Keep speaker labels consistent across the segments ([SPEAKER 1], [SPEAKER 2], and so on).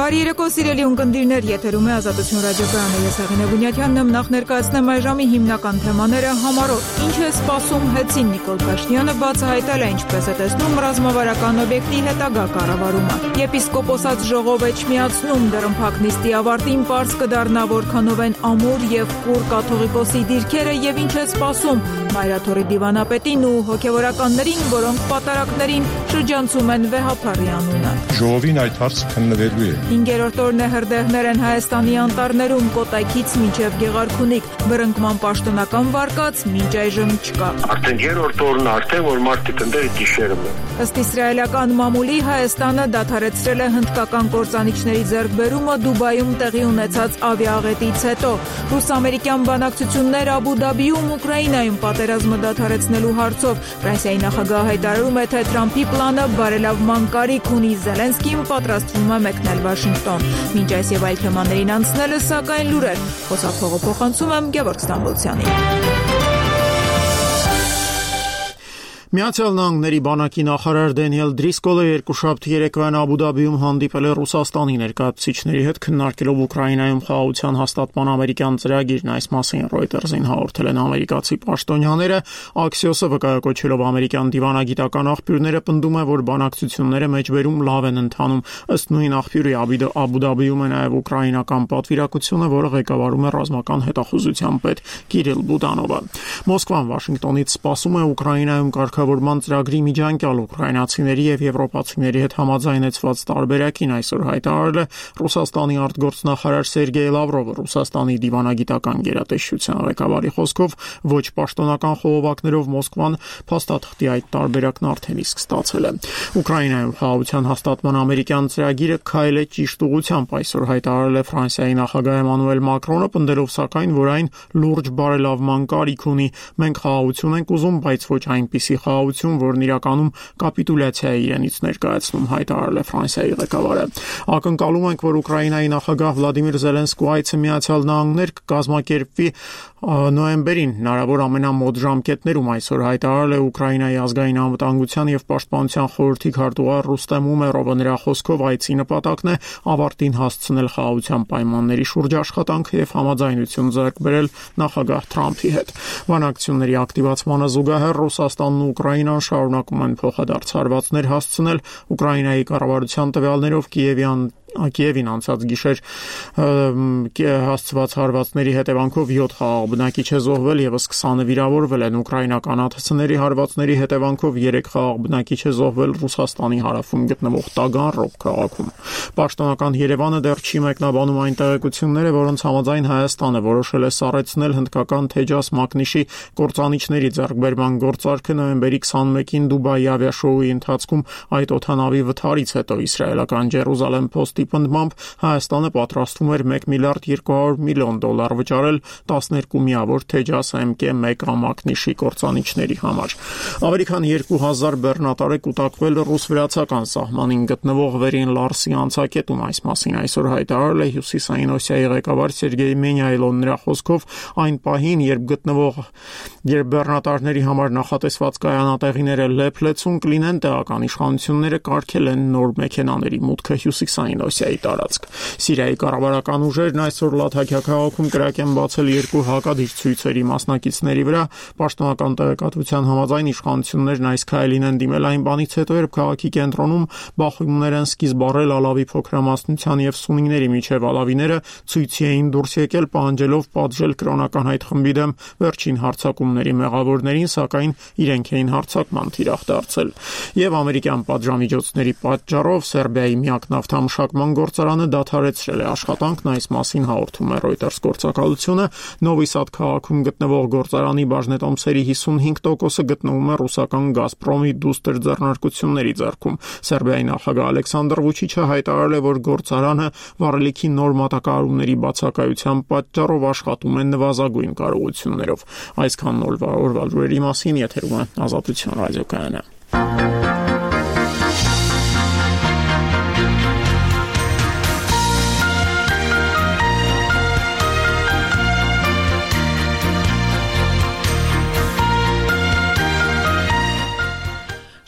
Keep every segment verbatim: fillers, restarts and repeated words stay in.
[SPEAKER 1] Բարի երեկո, սիրելի ունկնդիրներ, եթերում է Ազատություն ռադիոկայանը, ես Հեղինե Բունյաթյանն եմ, նախ ներկայացնեմ այժմի հիմնական թեմաները համարով։ Ինչ է սպասում Հեցին Նիկոլ Փաշինյանը բացահայտել է ինչպես է տեսնում ռազմավարական օբյեկտի հետագա կառավարումը։ Եպիսկոպոսաց ժողով էջմիածնում դռնփակ նիստի ավարտին պարզ կդառնա որքանով են ամուր եւ կուռ կաթողիկոսի դիրքերը եւ ինչ է սպասում Մայրաթորի դիվանապետին ու հոգեվորականներին, որոնք պատարակներին շրջանցում են վեհափառի անունը։
[SPEAKER 2] Ժողովին այդ հարցը քննվելու է։
[SPEAKER 1] Հինգերորդ օրն է հրդեհներ են Հայաստանի անտառներում, Կոտայքից մինչև Գեղարքունիք, բռնկման պաշտոնական վարկած մինչ այժմ չկա։
[SPEAKER 3] Արդեն երրորդ օրն արդեն որ մարդիկ ընդեր գիշերում են։
[SPEAKER 1] Ըստ իսրայելական մամուլի Հայաստանը դադարեցրել է հնդկական կործանիչների ձեռքբերումը Դուբայում տեղի ունեցած ավիաաղետից հետո։ Ռուս-ամերիկյան բանակցություններ Աբու Դաբիում Ուկրաինայում պատերազմը դադարեցնելու հարցով Ֆրանսիայի նախագահը հայտարարում է, թե Թրամփի պլանը բարելավման կարիք ունի, Զելենսկին պատրաստվում է մեկնել Վաշինգտոն։ Մինչ այս եւ այլ թեմաներին անցնելը, սակայն լուրեր։ Խոսափողը փոխանցում եմ Գևորգ Ստամբոլցյանին։
[SPEAKER 4] Միացյալ Նահանգների բանակի նախարար Դենիել Դրիսկոլը երկուշաբթի երեկոյան Աբու Դաբիում հանդիպել է Ռուսաստանի ներկայացուցիչների հետ, քննարկելով Ուկրաինայում խաղաղության հաստատման ամերիկյան ծրագիրն։ Այս մասին Reuters-ին հաղորդել են ամերիկացի պաշտոնյաները։ Axios-ը վկայակոչելով ամերիկյան դիվանագիտական աղբյուրները պնդում է, որ բանակցությունները մեջբերում լավ են ընթանում։ Ըստ նույն աղբյուրի Աբու Դաբիում է նաև ուկրաինական պատվիրակությունը, որը ղեկավարում է ռազմական հետախուզության պետ Կիրիլ Բուդանովը։ Մոսկվան Վաշինգտոնից սպասում է Ուկրաինայում կարգավորման ծրագրի միջանկյալ ուկրաինացիների եւ եվրոպացիների հետ համաձայնեցված տարբերակին այսօր հայտարարել է Ռուսաստանի արտգործնախարար Սերգեյ Լավրովը։ Ռուսաստանի դիվանագիտական գերատեսչության ղեկավարի խոսքով ոչ պաշտոնական խողովակներով Մոսկվան փաստաթղթի այդ տարբերակն արդեն իսկ ստացել է։ Ուկրաինայում խաղաղության հաստատման ամերիկյան ծրագիրը քայլ է ճիշտ ուղղությամբ, այսօր հայտարարել է Ֆրանսիայի նախագահ Էմանուել Մակրոնը, պնդելով սակայն, որ այն լուրջ բարելավման կարիք ունի։ Մենք խաղաղություն ենք ուզում, բայց ոչ այնպիսի խաղաղություն, որն իրականում կապիտուլյացիա է իրենից ներկայացնում, հայտարարել է Ֆրանսիայի ղեկավարը։ Ակնկալում ենք, որ Ուկրաինայի նախագահ Վլադիմիր Զելենսկու այցը Միացյալ Նահանգներ կկազմակերպվի նոյեմբերին, հնարավոր ամենամոտ ժամկետներում, այսօր հայտարարել է Ուկրաինայի ազգային անվտանգության եւ պաշտպանության խորհրդի քարտուղար Ռուստեմ Ումերովը։ Նրա խոսքով այցի նպատակն է ավարտին հասցնել խաղաղության պայմանների շուրջ աշխատանքը եւ համաձայնություն ձեռք բերել նախագահ Թրամփի հետ։ Բանակցությունների ակտիվացմանը զուգահեռ Ռուսաստանն ու Ուկրաինան շարունակում են փոխադարձ հարվածներ հասցնել։ Ուկրաինայի կառավարության տվյալներով Կիևյան Կիևին անցած գիշեր հասցված հարվածների հետևանքով յոթ խաղաղ բնակիչ է զոհվել, եւս քսանը վիրավորվել են։ Ուկրաինական ԱԹՑ-ների հարվածների հետևանքով երեք խաղաղ բնակիչ է զոհվել Ռուսաստանի հարավում գտնվող Տագանրոգ քաղաքում։ Պաշտոնական Երևանը դեռ չի մեկնաբանում այն տեղեկությունները, որոնց համաձայն Հայաստանը որոշել է սառեցնել հնդկական Թեջաս Մակնիշի կործանիչների ձեռքբերման գործարքը նոյեմբերի քսանմեկին Դուբայի ավիաշոուի ընթացքում այդ օդանավի վթարից հետո։ Իսրայելական Ջերուսալեմ Post-ի պնդմամբ Հայաստանը պատրաստվում էր մեկ միլիարդ երկու հարյուր միլիոն դոլար վճարել տասներկու միավոր Թեջաս էմ կե մեկ Մակնիշի կործանիչների համար։ Ավելի քան երկու հազար բեռնատար է կուտակվել ռուս-վրացական սահմանին գտնվող Վերին Լարսի անցակետում։ Այս մասին այսօր հայտարարել է Հյուսիսային Օսիայի ղեկավար Սերգեյ Մենյայլոն։ Նրա խոսքով այն պահին, երբ գտնվող երբ բեռնատարների համար նախատեսված կայանատեղիները լեփլեցուն կլինեն, տեղական իշխանությունները կարգել են նոր մեքենաների մուտքը Հյուսիսային Օսիայի տարածք։ Սիրիայի կառավարական ուժերն այսօր Լաթաքիա քաղաքում կրակ են բացել երկու հակադիր ցույցերի մասնակիցների վրա։ Պաշտոնական տեղեկատվության համաձայն իշխանություններն այս քայլին են դիմել այն բանից հետո, երբ քաղաքի կենտրոնում բախումներ են սկիզբ առել Ալավի փոքրամասնության եւ սուննիների միջև ալավիները ցույցի էին դուրս եկել, պահանջելով պատժել կրոնական այդ խմբի դեմ վերջին հարձակումների մեղավորներին, սակայն իրենք էին հարձակման թիրախ դարձել։ Եվ ամերիկյան պատժամիջոցների պատճառով Սերբիայի միակ նավթամշակման գործարանը դադարեցրել է աշխատանքն։ Այս մասին հաղորդում է Reuters գործակալությունը։ Նովի Սադ քաղաքում գտնվող գործարանի բաժնետոմսերի հիսունհինգ տոկոսը գտնվում է ռուսական Գազպրոմի դուստր ձեռնարկությունների ձեռքում։ Սերբիայի նախագահ Ալեքսանդր Վուչիչը հայտարարել է, որ գործարանը վառելիքի նոր մատակարարումների բացակայության պատճառով աշխատում է նվազագույն կարողություններով։ Այսքան օրվա լուրերի մասին եթերում է Ազատություն ռադիոկայանը։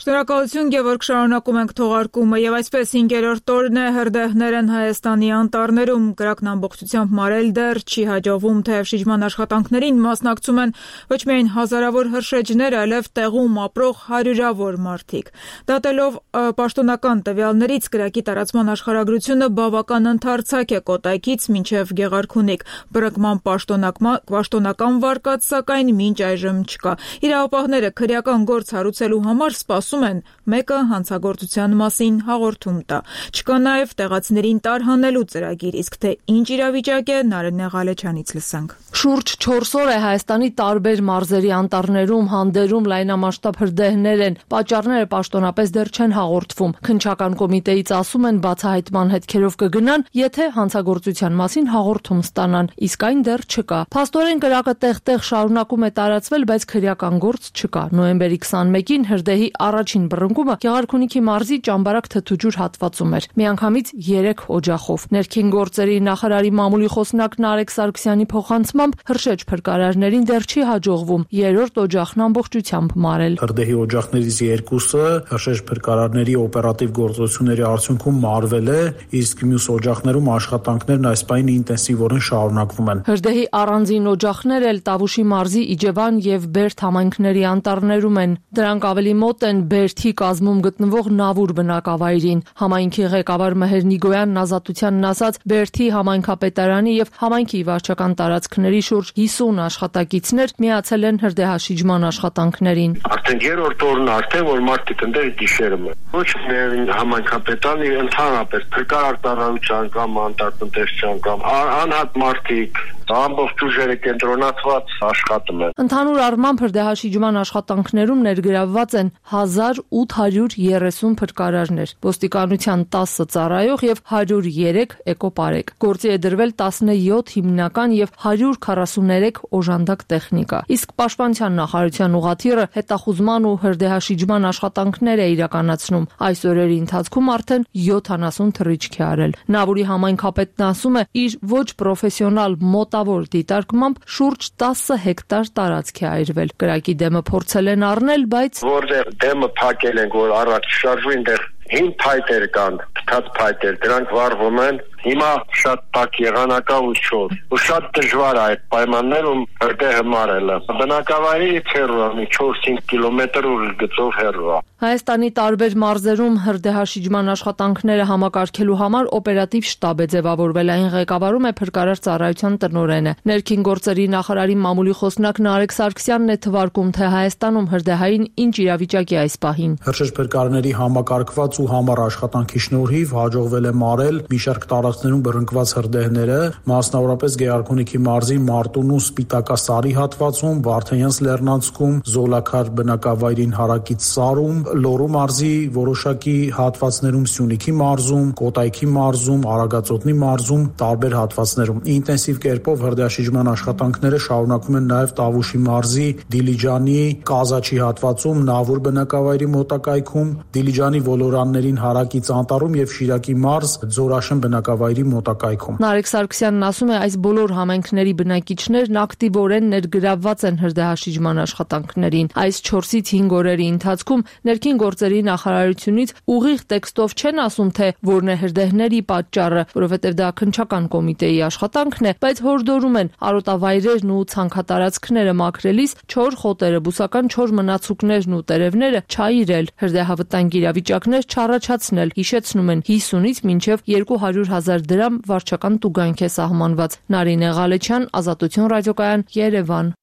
[SPEAKER 1] Շնորհակալ Շնորհակալություն, Գևորգ, շարունակում ենք թողարկումը եւ այսպես հինգերորդ օրն է հրդեհներ են Հայաստանի անտառներում, կրակն ամբողջությամբ մարել դեռ չի հաջողվում, թեև շիջման աշխատանքներին մասնակցում են ոչ միայն հազարավոր հրշեջներ, այլև տեղում ապրող հարյուրավոր մարդիկ։ Դատելով պաշտոնական տվյալներից կրակի տարածման աշխարհագրությունը բավական ընդարձակ է Կոտայքից մինչև Գեղարքունիք, բռնկման պաշտոնական վարկած սակայն մինչ այժմ չկա։ Իրավապահները քրեական գործ հարուցելու համար սպասում են մեկը հանցագործության մասին հաղորդում տա։ Չկա նաև տեղացիներին տարհանելու ծրագիր, իսկ թե ինչ իրավիճակ է, Նարինե Ղալեչյանից լսենք։
[SPEAKER 5] Շուրջ չորս օր է Հայաստանի տարբեր մարզերի անտառներում, հանդերում լայնամասշտաբ հրդեհներ են, պատճառները պաշտոնապես դեռ չեն հաղորդվում։ Քննչական կոմիտեից ասում են բացահայտման հետքերով կգնան, եթե հանցագործության մասին հաղորդում ստանան, իսկ այն դեռ չկա։ Փաստորեն կրակը տեղ-տեղ շարունակում է տարածվել, բայց քրեական գործ չկա։ Նոյեմբերի քսանմեկին հրդեհի առաջին բռնկումը Գեղարքունիքի մարզի Ճամբարակ Թթուջուր հատվածում էր։ Միանգամից երեք օջախով։ Ներքին գործերի նախարարի մամուլի խոսնակ Նարեկ Սարգսյանի փոխանցմամբ հրշեջ փրկարարներին դեռ չի հաջողվում երրորդ օջախն ամբողջությամբ մարել։
[SPEAKER 6] Հրդեհի օջախներից երկուսը հրշեջ փրկարարների օպերատիվ գործողությունների արդյունքում մարվել է, իսկ մյուս օջախներում աշխատանքներն այս պահին ինտենսիվորեն շարունակվում են։
[SPEAKER 5] Հրդեհի առանձին օջախներ էլ Տավուշի մարզի Իջևան եւ Բերդ համայնքների անտառներում են։ Դրանք ավելի մոտ են Բերդի կազմում գտնվող Նավուր բնակավայրին։ Համայնքի ղեկավար Մհեր Նիգոյանն ազատությանն ասաց, Բերդի համայնքապետարանի եւ համայնքի վարչական տարածքների շուրջ հիսուն աշխատակիցներ միացել են հրդեհաշիջման աշխատանքներին։
[SPEAKER 3] Արդեն երրորդ օրն արդեն որ մարդիկ ընդեր գիշերում են։ Ոչ միայն համայնքապետարանի, ընդհանրապես փրկարար ծառայության կամ անտառտնտեսության կամ անհատ մարդիկ ամբողջ ուժերը կենտրոնացված աշխատում են։
[SPEAKER 5] Ընդհանուր առմամբ հրդեհաշիջման աշխատանքներում ներգրավված են հազար ութ հարյուր երեսուն փրկարարներ, ոստիկանության տասը ծառայող եւ հարյուր երեք էկոպարեկ։ Գործի է դրվել տասնյոթ հիմնական եւ հարյուր քառասուններեք օժանդակ տեխնիկա։ Իսկ Պաշտպանության նախարարության ուղղաթիռը հետախուզման ու հրդեհաշիջման աշխատանքներ է իրականացնում։ Այս օրերի ընթացքում արդեն յոթանասուն թռիչք է արել։ Նավուրի համայնքապետն ասում է, իր ոչ պրոֆեսիոնալ մոտավոր դիտարկմամբ շուրջ տասը հեկտար տարածք է այրվել։ Կրակի դեմը փորձել են առնել, բայց
[SPEAKER 3] որտեղ դեմը փակել են, որ առաջ շարժվին դեռ հին փայտեր կան, փտած փայտեր, դրանք վառվում են։ Հիմա շատ տաք եղանակա ու չոր։ Ու շատ դժվար է այդ պայմաններում հրդեհը մարելը։ Բնակավայրից հեռու է, չորս-հինգ կիլոմետր ուր գծով հեռու է։
[SPEAKER 5] Հայաստանի տարբեր մարզերում հրդեհաշիջման աշխատանքները համակարգելու համար օպերատիվ շտաբ է ձևավորվել, այն ղեկավարում է փրկարար ծառայության տնօրենը։ Ներքին գործերի նախարարի մամուլի խոսնակ Նարեկ Սարգսյանն է թվարկում, թե Հայաստանում հրդեհային ինչ իրավիճակ է այս պահին։
[SPEAKER 6] Հրշեջ փրկարարների համակարգված ու համառ աշխատանքի շնորհիվ հաջողվել է մարել մի շարք տարածքներում բռնկված հրդեհները, մասնավորապես Գեղարքունիքի մարզի Մարտունու Սպիտակասարի հատվածում, Վարդենյանց լեռնանցքում, Զոլաքար բնակավայրին հարակից Սարում, Լոռու մարզի որոշակի հատվածներում, Սյունիքի մարզում, Կոտայքի մարզում, Արագածոտնի մարզում, տարբեր հատվածներում։ Ինտենսիվ կերպով հրդեհաշիջման աշխատանքները շարունակվում են նաև Տավուշի մարզի Դիլիջանի Կազաչի հատվածում, Նավուր բնակավայրի մոտակայքում, Դիլիջանի ոլորաններին հարակից անտառում եւ Շիրակի մարզ Ձորաշեն բնակավայրի մոտակայքում։
[SPEAKER 5] Նարեկ Սարգսյանն ասում է, այս բոլոր համայնքների բնակիչներն ակտիվորեն ներգրավված են հրդեհաշիջման աշխատանքներին։ Այս չորսից հինգ օրերի ընթացքում ներքին գործերի նախարարությունից ուղիղ տեքստով չեն ասում, թե որն է հրդեհների պատճառը, որովհետև դա քննչական կոմիտեի աշխատանքն է, բայց հորդորում են արոտավայրերն ու ցանքատարածքները մաքրելիս չոր խոտերը, բուսական չոր մնացուկներն ու տերևները չայրել, հրդեհավտանգ իրավիճակներ չառաջացնել, հիշեցնում են հիսունից մինչև երկու հարյուր հազար դրամ վարչական տուգանք է սահմանված։ Նարինե Ղալեչյան, Ազատություն ռադիոկայան, Երևան։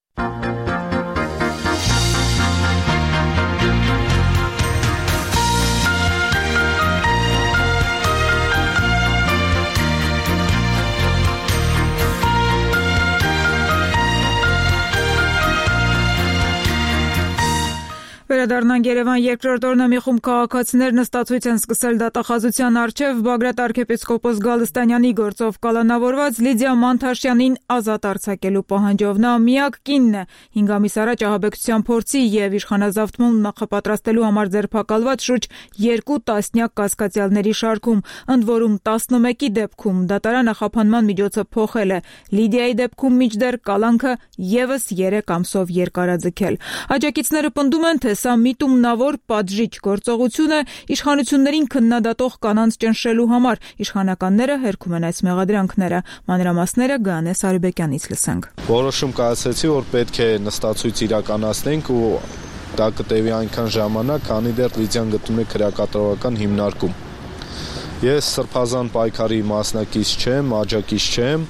[SPEAKER 1] Վերադառնանք Երևան, երկրորդ օրն է մի խումբ քաղաքացիներ նստածույց են սկսել դատախազության առջև Բագրատ arczepiskopos Գալստանյանի գործով կալանավորված Լիդիա Մանթաշյանին ազատ արձակելու պահանջով։ Նա միակ կինն է հինգ ամիս առաջ ահաբեկչության փորձի եւ իշխանազավթում նախապատրաստելու համար ձերբակալված շուրջ երկու տասնյակ կասկածյալների շարքում, ընդ որում տասնմեկի դեպքում դատարանը խափանման միջոցը փոխել է։ Լիդիայի դեպքում մինչդեռ կալանքը եւս երեք ամսով երկարաձգել։ Աջակիցները պնդում են, թե սա միտումնավոր պատժիչ գործողությունը իշխանություններին քննադատող կանանց ճնշելու համար։ Իշխանականները հերքում են այս մեղադրանքները։ Մանրամասները Գանե Սարիբեկյանից լսենք։
[SPEAKER 7] Որոշում կայացրեցի, որ պետք է նստացույց իրականացնենք ու դա կտևի այնքան ժամանակ, քանի դեռ Լիդիան գտնում է քրեակատարողական հիմնարկում։ Ես սրբազան պայքարի մասնակից չեմ, աջակից չեմ։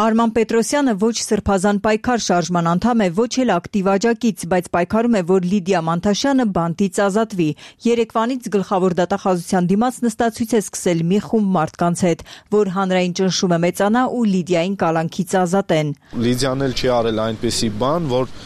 [SPEAKER 8] Արման Պետրոսյանը ոչ սրբազան պայքար շարժման անդամ է, ոչ էլ ակտիվ աջակից, բայց պայքարում է, որ Լիդիա Մանթաշյանը բանտից ազատվի։ Երեկվանից գլխավոր դատախազության դիմաց նստացույց է սկսել մի խումբ մարդկանց հետ, որ հանրային ճնշումը մեծանա ու Լիդիային կալանքից ազատեն։
[SPEAKER 7] Լիդիան էլ չի արել այնպիսի բան, որ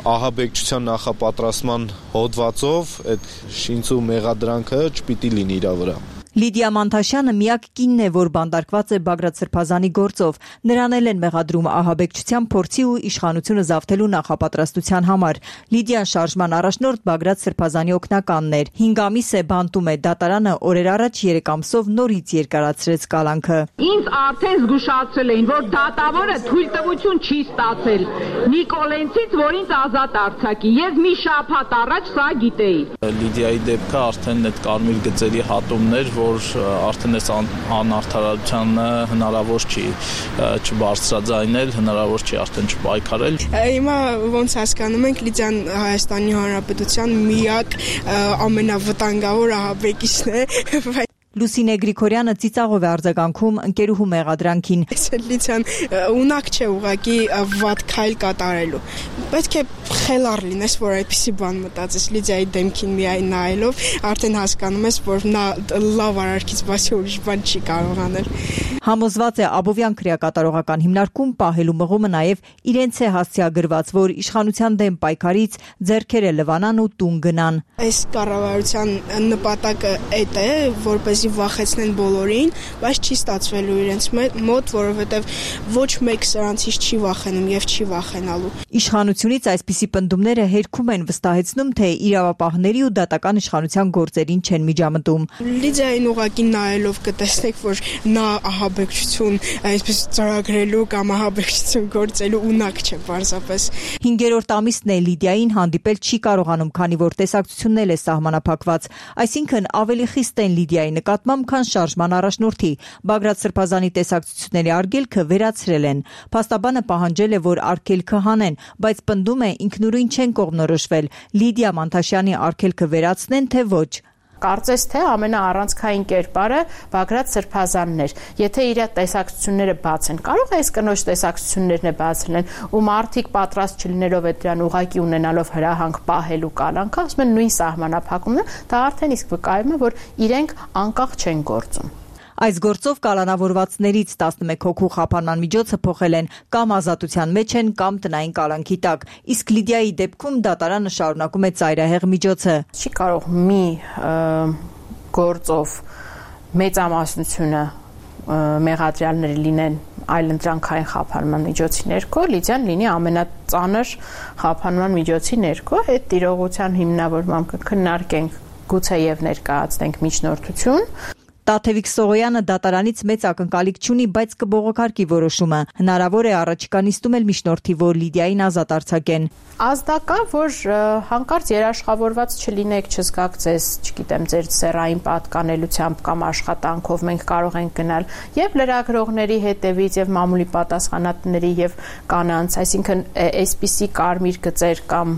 [SPEAKER 7] ահաբեկչության նախապատրաստման հոդվածով այդ շինծու մեղադրանքը չպիտի լինի իր վրա։
[SPEAKER 8] Լիդիա Մանթաշյանը միակ կինն է, որ բանտարկված է Բագրատ Սրբազանի գործով։ Նրան էլ են մեղադրում ահաբեկչության փորձի ու իշխանությունը զավթելու նախապատրաստության համար։ Լիդիան շարժման առաջնորդ Բագրատ Սրբազանի օգնականն էր։ հինգ ամիս է բանտում է, դատարանը օրեր առաջ երեք ամսով նորից երկարացրեց կալանքը։
[SPEAKER 9] Ինձ արդեն զգուշացրել էին, որ դատավորը թույլտվություն չի ստացել Նիկոլենցից, որ ինձ ազատ արձակի։ Ես մի շաբաթ առաջ սա գիտեի։
[SPEAKER 10] Լիդիայի դեպքը արդեն այդ կարմիր գծերի հատումներ, որ արդեն այս անարդարությանը հնարավոր չի չբարձրաձայնել, հնարավոր չի արդեն չպայքարել։
[SPEAKER 11] Հիմա ոնց հասկանում ենք, Լիդիան Հայաստանի Հանրապետության միակ ամենավտանգավոր ահաբեկիչն է։
[SPEAKER 8] Լուսինե Գրիգորյանը ծիծաղով է արձագանքում ընկերուհու մեղադրանքին։
[SPEAKER 11] Լիդիան ունակ չէ ուղղակի վատ քայլ կատարելու։ Պետք է խելառ լինես, որ այդպիսի բան մտածես Լիդիայի դեմքին միայն նայելով, արդեն հասկանում ես, որ նա լավ արարքից բացի ուրիշ բան չի կարող անել։
[SPEAKER 8] Համոզված է Աբովյան քրեակատարողական հիմնարկում պահելու մղումը նաև իրենց է հասցեագրված, որ իշխանության դեմ պայքարից ձեռքերը լվանան ու տուն գնան։
[SPEAKER 11] Այս կառավարության նպատակը այդ է, որպեսզի վախեցնեն բոլորին, բայց չի ստացվելու իրենց մոտ, որովհետև ոչ մեկ սրանցից չի վախենում եւ չի վախենալու։
[SPEAKER 8] Իշխանությունից այսպիսի պնդումները հերքում են, վստահեցնում, թե իրավապահների ու դատական իշխանության գործերին չեն միջամտում։
[SPEAKER 11] Լիդիային ուղղակի նայելով կտեսնեք, որ նա ահաբեկչություն այսպես ծրագրելու կամ ահաբեկչություն գործելու ունակ չէ պարզապես։
[SPEAKER 8] Հինգերորդ ամիսն է Լիդիային հանդիպել չի կարողանում, քանի որ տեսակցությունն էլ է սահմանափակված, այսինքն ավելի խիստ են Լիդիայի նկատմամբ, քան շարժման առաջնորդի։ Բագրատ Սրբազանի տեսակցությունների արգելքը վերացրել են։ Փաստաբանը պահանջել է, որ արգելքը հանեն, բայց պնդում է ինքնուրույն չեն կողմնորոշվել։ Լիդիա Մանթաշյանի արգելքը վերացնեն, թե ոչ։
[SPEAKER 12] Կարծես թե ամենաառանցքային կերպարը Բագրատ Սրբազանն էր։ Եթե իր տեսակցությունները բաց են, կարող է այս կնոջ տեսակցություններն է բաց լինեն, ու մարդիկ պատրաստ չլինելով այդ դրան ուղակի ունենալով հրահանգ պահելու կալանքը, ասում են նույն սահմանափակումն է, դա արդեն իսկ վկայում է, որ իրենք անկախ չեն գործում։
[SPEAKER 8] Այս գործով կալանավորվածներից տասնմեկ հոգու խափանման միջոցը փոխել են կամ ազատության մեջ են, կամ տնային կալանքի տակ, իսկ Լիդիայի դեպքում դատարանը շարունակում է ծայրահեղ միջոցը։
[SPEAKER 12] Չի կարող մի գործով մեծամասնությունը մեղադրյալները լինեն այլընտրանքային խափանման միջոցի ներքո, Լիդիան լինի ամենածանր խափանման միջոցի ներքո, այդ տիրողության հիմնավորմամբ կքննարկենք, գուցեև ներկայացնենք միջնորդություն։
[SPEAKER 8] Տաթևիկ Սողոյանը դատարանից մեծ ակնկալիք չունի, բայց կբողոքարկի որոշումը։ Հնարավոր է առաջիկա նիստում էլ միջնորդի, որ Լիդիային ազատ արձակեն։
[SPEAKER 12] Ազդակա, որ հանկարծ երաշխավորված չլինեք, չզգաք ձեզ, չգիտեմ, ձեր սեռային պատկանելությամբ կամ աշխատանքով մենք կարող ենք գնալ եւ լրագրողների հետևից եւ մամուլի պատասխանատների եւ կանանց, այսինքն այսպիսի կարմիր գծեր կամ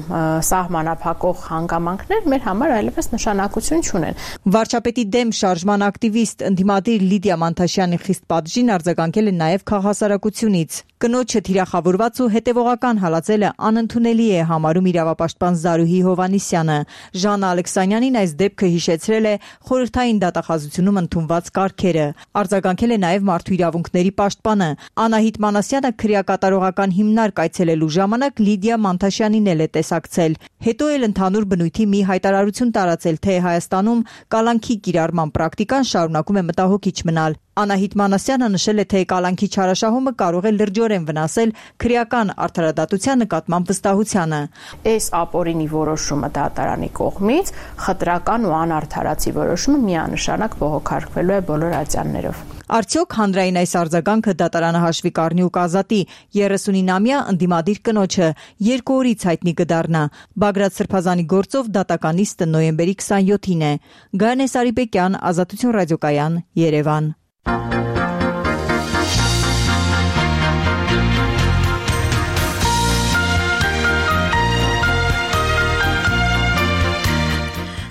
[SPEAKER 12] սահմանափակող հանգամանքներ մեր համար այլևս նշանակություն չունեն։
[SPEAKER 8] Վարչապետի դեմ շարժման ակտիվիստ ընդդիմադիր Լիդիա Մանթաշյանի խիստ պատժին արձագանքել է նաև քաղաքասարակությունից։ Կնոջը թիրախավորված ու հետևողական հալածելը անընդունելի է համարում իրավապաշտպան Զարուհի Հովանիսյանը։ Ժաննա Ալեքսանյանին այս դեպքը հիշեցրել է խորհրդային դատախազությունում ընդունված կարգերը։ Արձագանքել է նաև մարդու իրավունքների պաշտպանը։ Անահիտ Մանասյանը քրեակատարողական հիմնարկ այցելելու ժամանակ Լիդիա Մանթաշյանին էլ է տեսակցել։ Հետո էլ ընդհանուր բնույթի մի հայտարարություն տարածել, թե Հայաստանում կալանքի կիրառման պրակտիկան շարունակում է մտահոգիչ մնալ։ Անահիտ Մանասյանը նշել է, թե կալանքի չարաշահումը կարող է լրջորեն վնասել քրեական արդարադատության նկատմամբ վստահությանը։
[SPEAKER 12] Այս ապօրինի որոշումը դատարանի կողմից խտրական ու անարդարացի որոշումը միանշանակ բողոքարկվելու է բոլոր ատյաններով։
[SPEAKER 8] Արդյոք հանրային այս արձագանքը դատարանը հաշվի կառնի ու կազատի երեսունինամյա ընդդիմադիր կնոջը երկու օրից հայտնի կդառնա։ Բագրատ Սրբազանի գործով դատականիստը նոյեմբերի քսանյոթին է։ Գայանե Սարիբեկյան, Ազատություն ռադիոկայան, Երևան։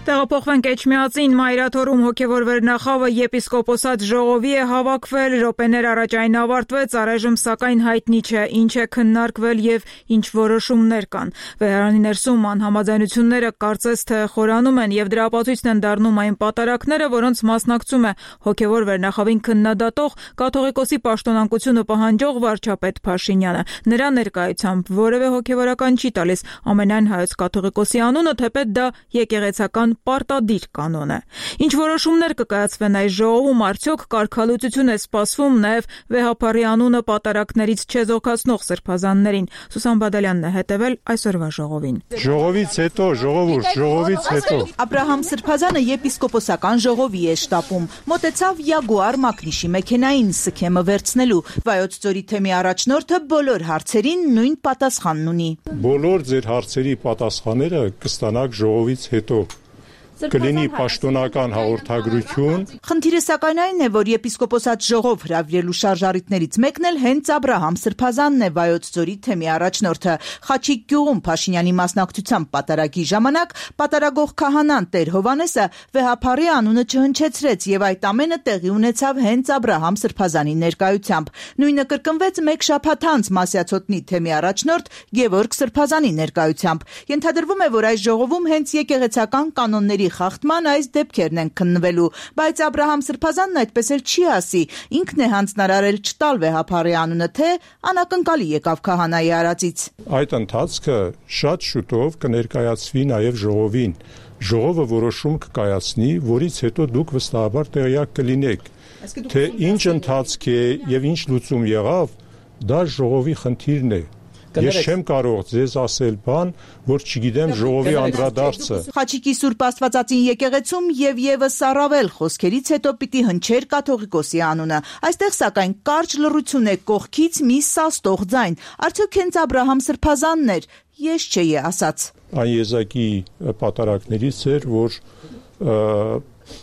[SPEAKER 1] Տեղափոխվենք Էջմիածին, Մայրաթորում հոգևոր վերնախավը եպիսկոպոսատ ժողովի է հավաքվել, րոպեներ առաջ այն ավարտվեց, առայժմ սակայն հայտնի չէ ինչ է քննարկվել եւ ինչ որոշումներ կան։ Վեհարանի ներսում անհամաձայնությունները կարծես թե խորանում են եւ դրա ապացույցն են դառնում այն պատարակները, որոնց մասնակցում է հոգևոր վերնախավին քննադատող կաթողիկոսի պաշտոնանկությունը պահանջող վարչապետ Փաշինյանը։ Նրա ներկայությամբ որևէ հոգևորական չի տալիս ամենայն հայոց կաթողիկոսի անունը, թեպետ դա եկեղեցական պարտադիր կանոն է։ Ինչ որոշումներ կկայացվեն այս ժողովում, արդյոք կարգալուծություն է սպասվում նաև Վեհափարի անունը պատարակներից չեզոքացնող սրբազաններին։ Սուսան Բադալյանն է հետևել այսօրվա ժողովին։
[SPEAKER 2] Ժողովից հետո, ժողովուրդ, ժողովից հետո։
[SPEAKER 13] Աբրահամ Սրբազանը եպիսկոպոսական ժողովի է շտապում։ Մոտեցավ Յագուար Մակնիշի մեքենային սքեմը վերցնելու։ Վայոց ձորի թեմի առաջնորդը բոլոր հարցերին նույն պատասխանն ունի։
[SPEAKER 2] Բոլոր ձեր հարցերի պատասխանները կստանաք ժողովից հետո։ Կլինի պաշտոնական հաղորդագրություն։
[SPEAKER 13] Խնդիրը սակայն այն է, որ եպիսկոպոսատ ժողով հրավիրելու շարժառիթներից մեկն էլ հենց Աբրահամ Սրբազանն է, Վայոց ձորի թեմի առաջնորդը։ Խաչիկ գյուղում Փաշինյանի մասնակցությամբ պատարագի ժամանակ պատարագող քահանան Տեր Հովանեսը Վեհափարի անունը չհնչեցրեց եւ այդ ամենը տեղի ունեցավ հենց Աբրահամ Սրբազանի ներկայությամբ։ Նույնը կրկնվեց մեկ շաբաթ անց Մասյացոտնի թեմի առաջնորդ Գևորգ Սրբազանի ներկայությամբ։ Ենթադրվում է, որ այս ժողովում հենց եկեղեցական կանոնների խախտման այս դեպքերն են քննվելու, բայց Աբրահամ Սրբազանն այդպես էլ չի ասի, ինքն է հանձնարարել չտալ Վեհափարի անունը, թե անակնկալի եկավ քահանայի արածից։
[SPEAKER 2] Այդ ընթացքը շատ շուտով կներկայացվի նաև ժողովին։ Ժողովը որոշում կկայացնի, որից հետո դուք վստահաբար տեղյակ կլինեք, թե ինչ ընթացք է եւ ինչ լուծում եղավ, դա ժողովի խնդիրն է։ Ես չեմ կարող ձեզ ասել բան, որ չգիտեմ ժողովի անդրադարձը։
[SPEAKER 13] Խաչիկի Սուրբ Աստվածածին եկեղեցում եւ եւս առավել խոսքերից հետո պիտի հնչեր կաթողիկոսի անունը։ Այստեղ սակայն կարճ լռություն է, կողքից մի սաստող ձայն։ Արդյոք հենց Աբրահամ Սրբազանն էր, ես չէի ասաց։
[SPEAKER 2] Այն եզակի պատարակներից էր, որ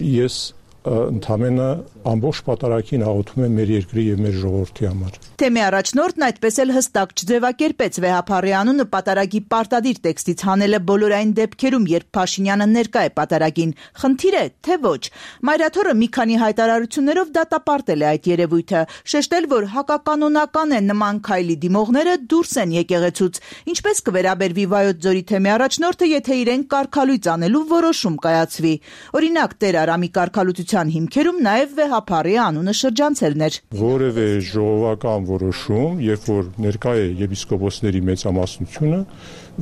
[SPEAKER 2] ես ընդամենը ամբողջ պատարակին աղոթում եմ մեր երկրի եւ մեր ժողովրդի համար։
[SPEAKER 13] Թեմի առաջնորդն այդպես էլ հստակ չձևակերպեց Վեհափարի անունը պատարագի պարտադիր տեքստից հանելը բոլոր այն դեպքերում, երբ Փաշինյանը ներկա է պատարագին։ Խնդիր է, թե ոչ։ Մայրաթորը մի քանի հայտարարություններով դատապարտել է այդ երևույթը, շեշտել, որ հակականոնական է նման քայլի դիմողները դուրս են եկեղեցուց։ Ինչպես կվերաբերվի Վայոց ձորի թեմի առաջնորդը, եթե իրեն կարգալույծ անելու որոշում կայացվի։ Օրինակ, Տեր Արամի կարգալուծության հիմքերում նաև Վեհափարի անունը շրջանցելն էր։
[SPEAKER 2] Որևէ ժողովական որոշում, երբ որ ներկա է եպիսկոպոսների մեծամասնությունը,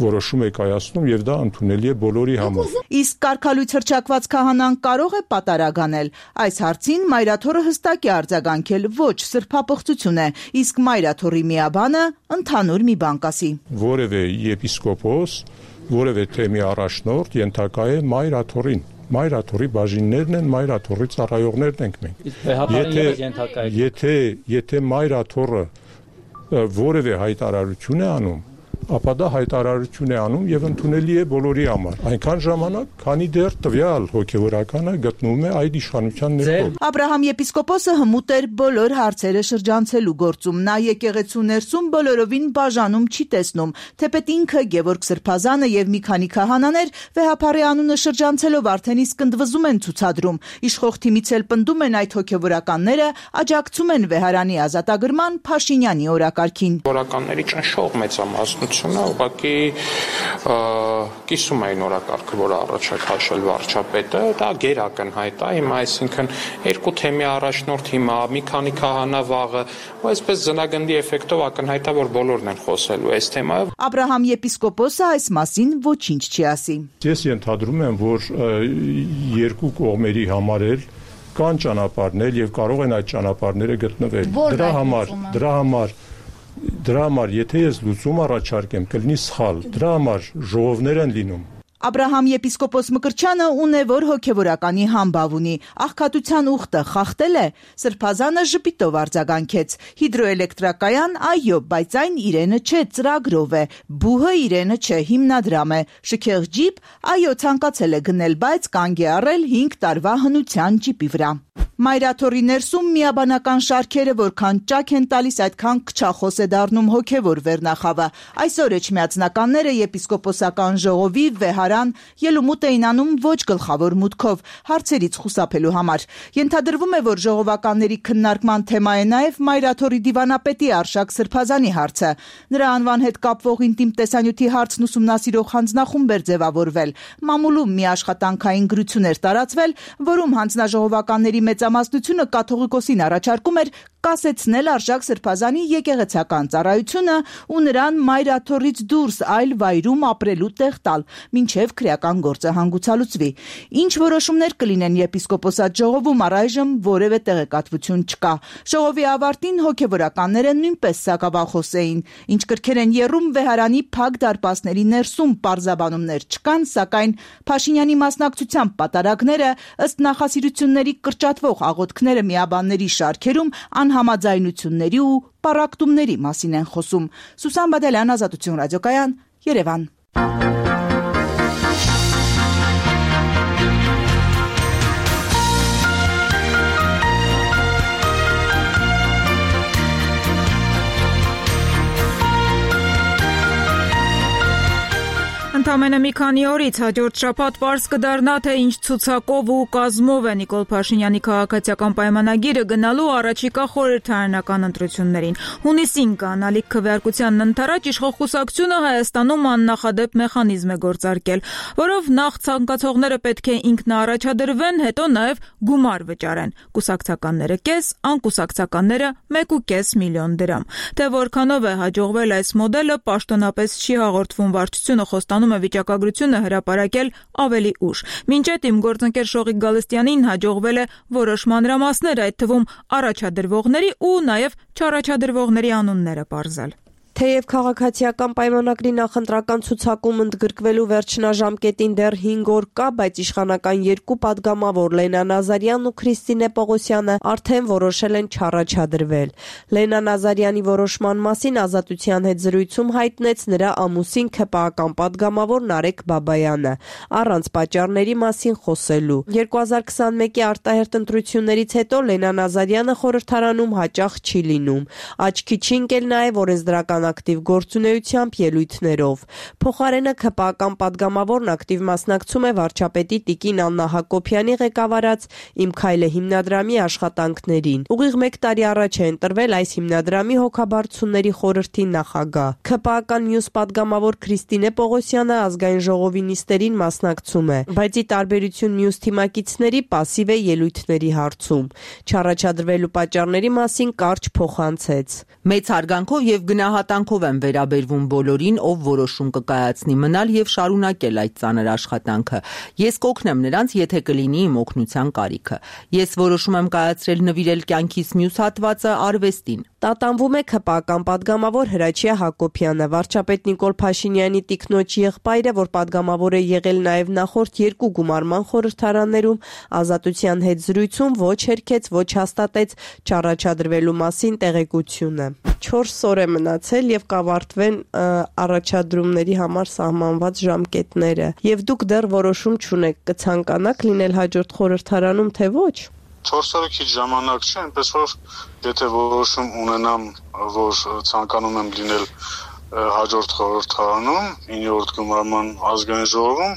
[SPEAKER 2] որոշում է կայացնում եւ դա ընդունելի է բոլորի համար։
[SPEAKER 13] Իսկ կարգալույծ հռչակված քահանան կարող է պատարագ անել։ Այս հարցին Մայրաթորը հստակ է արձագանքել, ոչ սրբապղծություն է, իսկ Մայրաթորի միաբանը ընդհանուր մի բան կասի։
[SPEAKER 2] Որևէ եպիսկոպոս, որևէ թեմի առաջնորդ ենթակա է Մայրաթորին։ Մայրաթորի բաժիններն են, Մայրաթորի ծառայողներն ենք մենք։ Եթե եթե եթե Մայրաթորը որևէ հայտարարություն է անում, ապա դա հայտարարություն է անում եւ ընդունելի է բոլորի համար։ Այնքան ժամանակ, քանի դեռ տվյալ հոգեվորականը գտնվում է այդ իշխանության ներքո։
[SPEAKER 13] Աբրահամ եպիսկոպոսը հմուտ էր բոլոր հարցերը շրջանցելու գործում։ Նա եկեղեցու ներսում բոլորովին բաժանում չի տեսնում, թեպետ ինքը Գևորգ Սրբազանը եւ մի քանի քահանաներ Վեհափարի անունը շրջանցելով արդեն իսկ ընդվզում են ցուցադրում։ Իշխող թիմից էլ պնդում են այդ հոգեվորականները աջակցում են Վեհարանի ազատագրման Փաշինյանի օրակարգին։
[SPEAKER 14] Հոգեվորականների ճնշող մեծամասնությունը ուղղակի կիսում էին օրակարգը, որը առաջ է քաշել վարչապետը, դա գերակնհայտ է, հիմա այսինքն երկու թեմի առաջնորդ հիմա մի քանի քահանա վաղը, ու այսպես ձնագնդի էֆեկտով ակնհայտ է, որ բոլորն են խոսելու այս թեմայով։
[SPEAKER 13] Աբրահամ եպիսկոպոսը այս մասին ոչինչ չի ասի։
[SPEAKER 2] Ես ենթադրում եմ, որ երկու կողմերի համար էլ կան ճանապարհներ եւ կարող են այդ ճանապարհները գտնվել։ Դրա համար, դրա համար դրա համար եթե ես լուծում առաջարկեմ, կլինի սխալ։ Դրա համար ժողովներ են լինում։
[SPEAKER 13] Աբրահամ եպիսկոպոս Մկրտչյանը ունե, որ հոգևորականի համբավ ունի, աղքատության ուխտը խախտել է, Սրբազանը ժպիտով արձագանքեց, հիդրոէլեկտրակայան այո, բայց այն իրենը չէ, ծրագրով է, բուհը իրենը չէ, հիմնադրամ է, շքեղ ջիպ այո, ցանկացել է գնել, բայց կանգ է առել հինգ տարվա հնության ջիպի վրա։ Մայրաթորի ներսում միաբանական շարքերը որքան ճաք են տալիս, այդքան քչախոս է դառնում հոգևոր վերնախավը։ Այսօր էջմիածնականները եպիսկոպոսական ժողովի վեհարան ելումուտ էին անում ոչ գլխավոր մուտքով, հարցերից խուսափելու համար։ Ենթադրվում է, որ ժողովականների քննարկման թեմա է նաև Մայրաթորի դիվանապետի Արշակ Սրբազանի հարցը։ Նրա անվան հետ կապվող ինտիմ տեսանյութի հարցն ուսումնասիրող հանձնախումբ էր ձևավորվել։ Մամուլում մի աշխատանքային գրություն էր տարածվել, որում հանձնաժողովականների մեծ Մասնությունը կաթողիկոսին առաջարկում էր կասեցնել Արշակ Սրբազանի եկեղեցական ծառայությունը ու նրան Մայրաթորից դուրս այլ վայրում ապրելու տեղ տալ, մինչև քրեական գործը հանգուցալուծվի։ Ինչ որոշումներ կլինեն եպիսկոպոսատ ժողովում, առայժմ որևէ տեղեկատվություն չկա։ Ժողովի ավարտին հոգևորականները նույնպես սակավախոս էին։ Ինչ կրքեր են եռում վեհարանի փակ դարպասների ներսում պարզաբանումներ չկան, սակայն Փաշինյանի մասնակցությամբ պատարագները ըստ նախասիրությունների կրճատվող աղոթքները միաբանների շարքերում անհամաձայնությունների ու պառակտումների մասին են խոսում։ Սուսան Բադալյան, Ազատություն ռադիոկայան, Երևան։
[SPEAKER 1] Ընդամենը մի քանի օրից հաջորդ շաբաթ պարզ կդառնա, թե ինչ ցուցակով ու կազմով է Նիկոլ Փաշինյանի քաղաքացիական պայմանագիրը գնալու առաջիկա խորհրդարանական ընտրություններին։ Հունիսին կանալիք քվեարկությանն ընթരാճ իշխող կուսակցությունը Հայաստանում աննախադեպ մեխանիզմ է գործարկել, որով նախ ցանկացողները պետք է ինքնաառաջադրվեն, հետո նաև գումար վճարեն։ Կուսակցականները կես, անկուսակցականները մեկ ու կես միլիոն դրամ։ Թե որքանով է հաջողվել այս մոդելը, պաշտոնապես չի հաղորդվում, վարչությունը խոստանում է վիճակագրությունը հրապարակել ավելի ուշ։ Մինչ այդ իմ գործընկեր Շողիկ Գալստյանին հաջողվել է որոշ մանրամասներ, այդ թվում առաջադրվողների ու նաև չառաջադրվողների անունները պարզել։
[SPEAKER 15] Թեև քաղաքացիական պայմանագրի նախընտրական ցուցակում ընդգրկվելու վերջնաժամկետին դեռ հինգ օր կա, բայց իշխանական երկու падգամավոր Լենա Նազարյանն ու Քրիստինե Պողոսյանը արդեն որոշել են չառաջադրվել։ Լենա Նազարյանի որոշման մասին Ազատության հետ զրույցում հայտնեց նրա ամուսին ՔՊԱ-ական падգամավոր Նարեկ Բաբայանը, առանց պատճառների մասին խոսելու։ երկու հազար քսանմեկի արտահերթ ընտրություններից հետո Լենա Նազարյանը խորհրդարանում հաճախ չի լինում։ Աչքի չի ընկել նաև օրենսդրական ակտիվ գործունեությամբ ելույթներով։ Փոխարենը ՔՊԱ-ական падգամավորն ակտիվ մասնակցում է վարչապետի տիկին Աննա Հակոբյանի ղեկավարած «Իմ քայլը» հիմնադրամի աշխատանքներին։ Ուղիղ մեկ տարի առաջ է ընտրվել այս հիմնադրամի հոգաբարձությունների խորհրդի նախագահ։ ՔՊԱ-ական մյուս падգամավոր Քրիստինե Պողոսյանը ազգային ժողովի նիստերին մասնակցում է, բայց ի տարբերություն մյուս թիմակիցների պասիվ է ելույթների հարցում։ Չառաջադրվելու պատճառների մասին կարճ փոխանցեց։
[SPEAKER 16] Մեծ հարգանքով եւ գնահատանքով եմ վերաբերվում բոլորին, ով որոշում կկայացնի մնալ եւ շարունակել այդ ծանր աշխատանքը։ Ես կօգնեմ նրանց, եթե կլինի իմ օգնության կարիքը։ Ես որոշում եմ կայացրել նվիրել կյանքիս մյուս հատվածը արվեստին։
[SPEAKER 15] Տատանվում է ՔՊԱ-ական падգամավոր Հրաչյա Հակոբյանը, վարչապետ Նիկոլ Փաշինյանի տիկնոջ եղբայրը, որ падգամավոր է եղել նաև նախորդ երկու գումարման խորհրդարաններում, Ազատության հետ զրույցում ոչ հերքեց, ոչ հաստատեց չառաջադրվելու մասին տեղեկությունը։ չորս օր է մնացել եւ կավարտվեն առաջադրումների համար սահմանված ժամկետները, եւ դուք դեռ որոշում չունեք, կցանկանաք լինել հաջորդ խորհրդարանում, թե ոչ։
[SPEAKER 17] չորս օրը քիչ ժամանակ չէ, այնպես որ եթե որոշում ունենամ, որ ցանկանում եմ լինել հաջորդ խորհրդարանում, իններորդ գումարման ազգային ժողովում,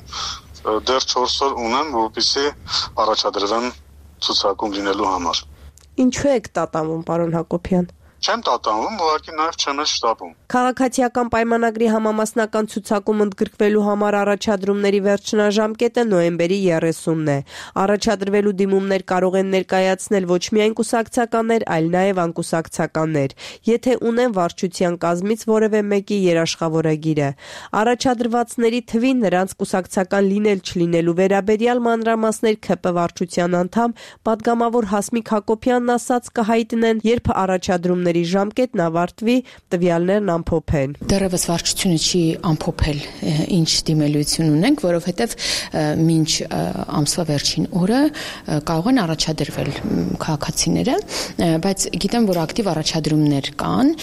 [SPEAKER 17] դեռ չորս օր ունեմ, որպեսզի առաջադրվեմ ցուցակում լինելու համար։
[SPEAKER 15] Ինչու եք տատանվում, պարոն Հակոբյան։
[SPEAKER 17] Չեմ տատանվում, ուղղակի նաև չեմ էլ շտապում։
[SPEAKER 15] Քաղաքացիական պայմանագրի համամասնական ցուցակում ընդգրկվելու համար առաջադրումների վերջնաժամկետը նոյեմբերի երեսունն է։ Առաջադրվելու դիմումներ կարող են ներկայացնել ոչ միայն կուսակցականներ, այլ նաև անկուսակցականներ, եթե ունեն վարչության կազմից որևէ մեկի երաշխավորագիրը։ Առաջադրվածների թվին նրանց կուսակցական լինել-չլինելու վերաբերյալ մանրամասներ ՔՊ վարչության անդամ պատգամավոր Հասմիկ Հակոբյանն ասաց կհայտնեն, երբ առաջադրումների ժամկետն ավարտվի, տվյալներն ամփոփեն։
[SPEAKER 18] Դեռևս վարչությունը չի ամփոփել ինչ դիմելություն ունենք, որովհետև մինչ ամսվա վերջին օրը կարող են առաջադրվել քաղաքացիները, բայց գիտեմ, որ ակտիվ առաջադրումներ կան։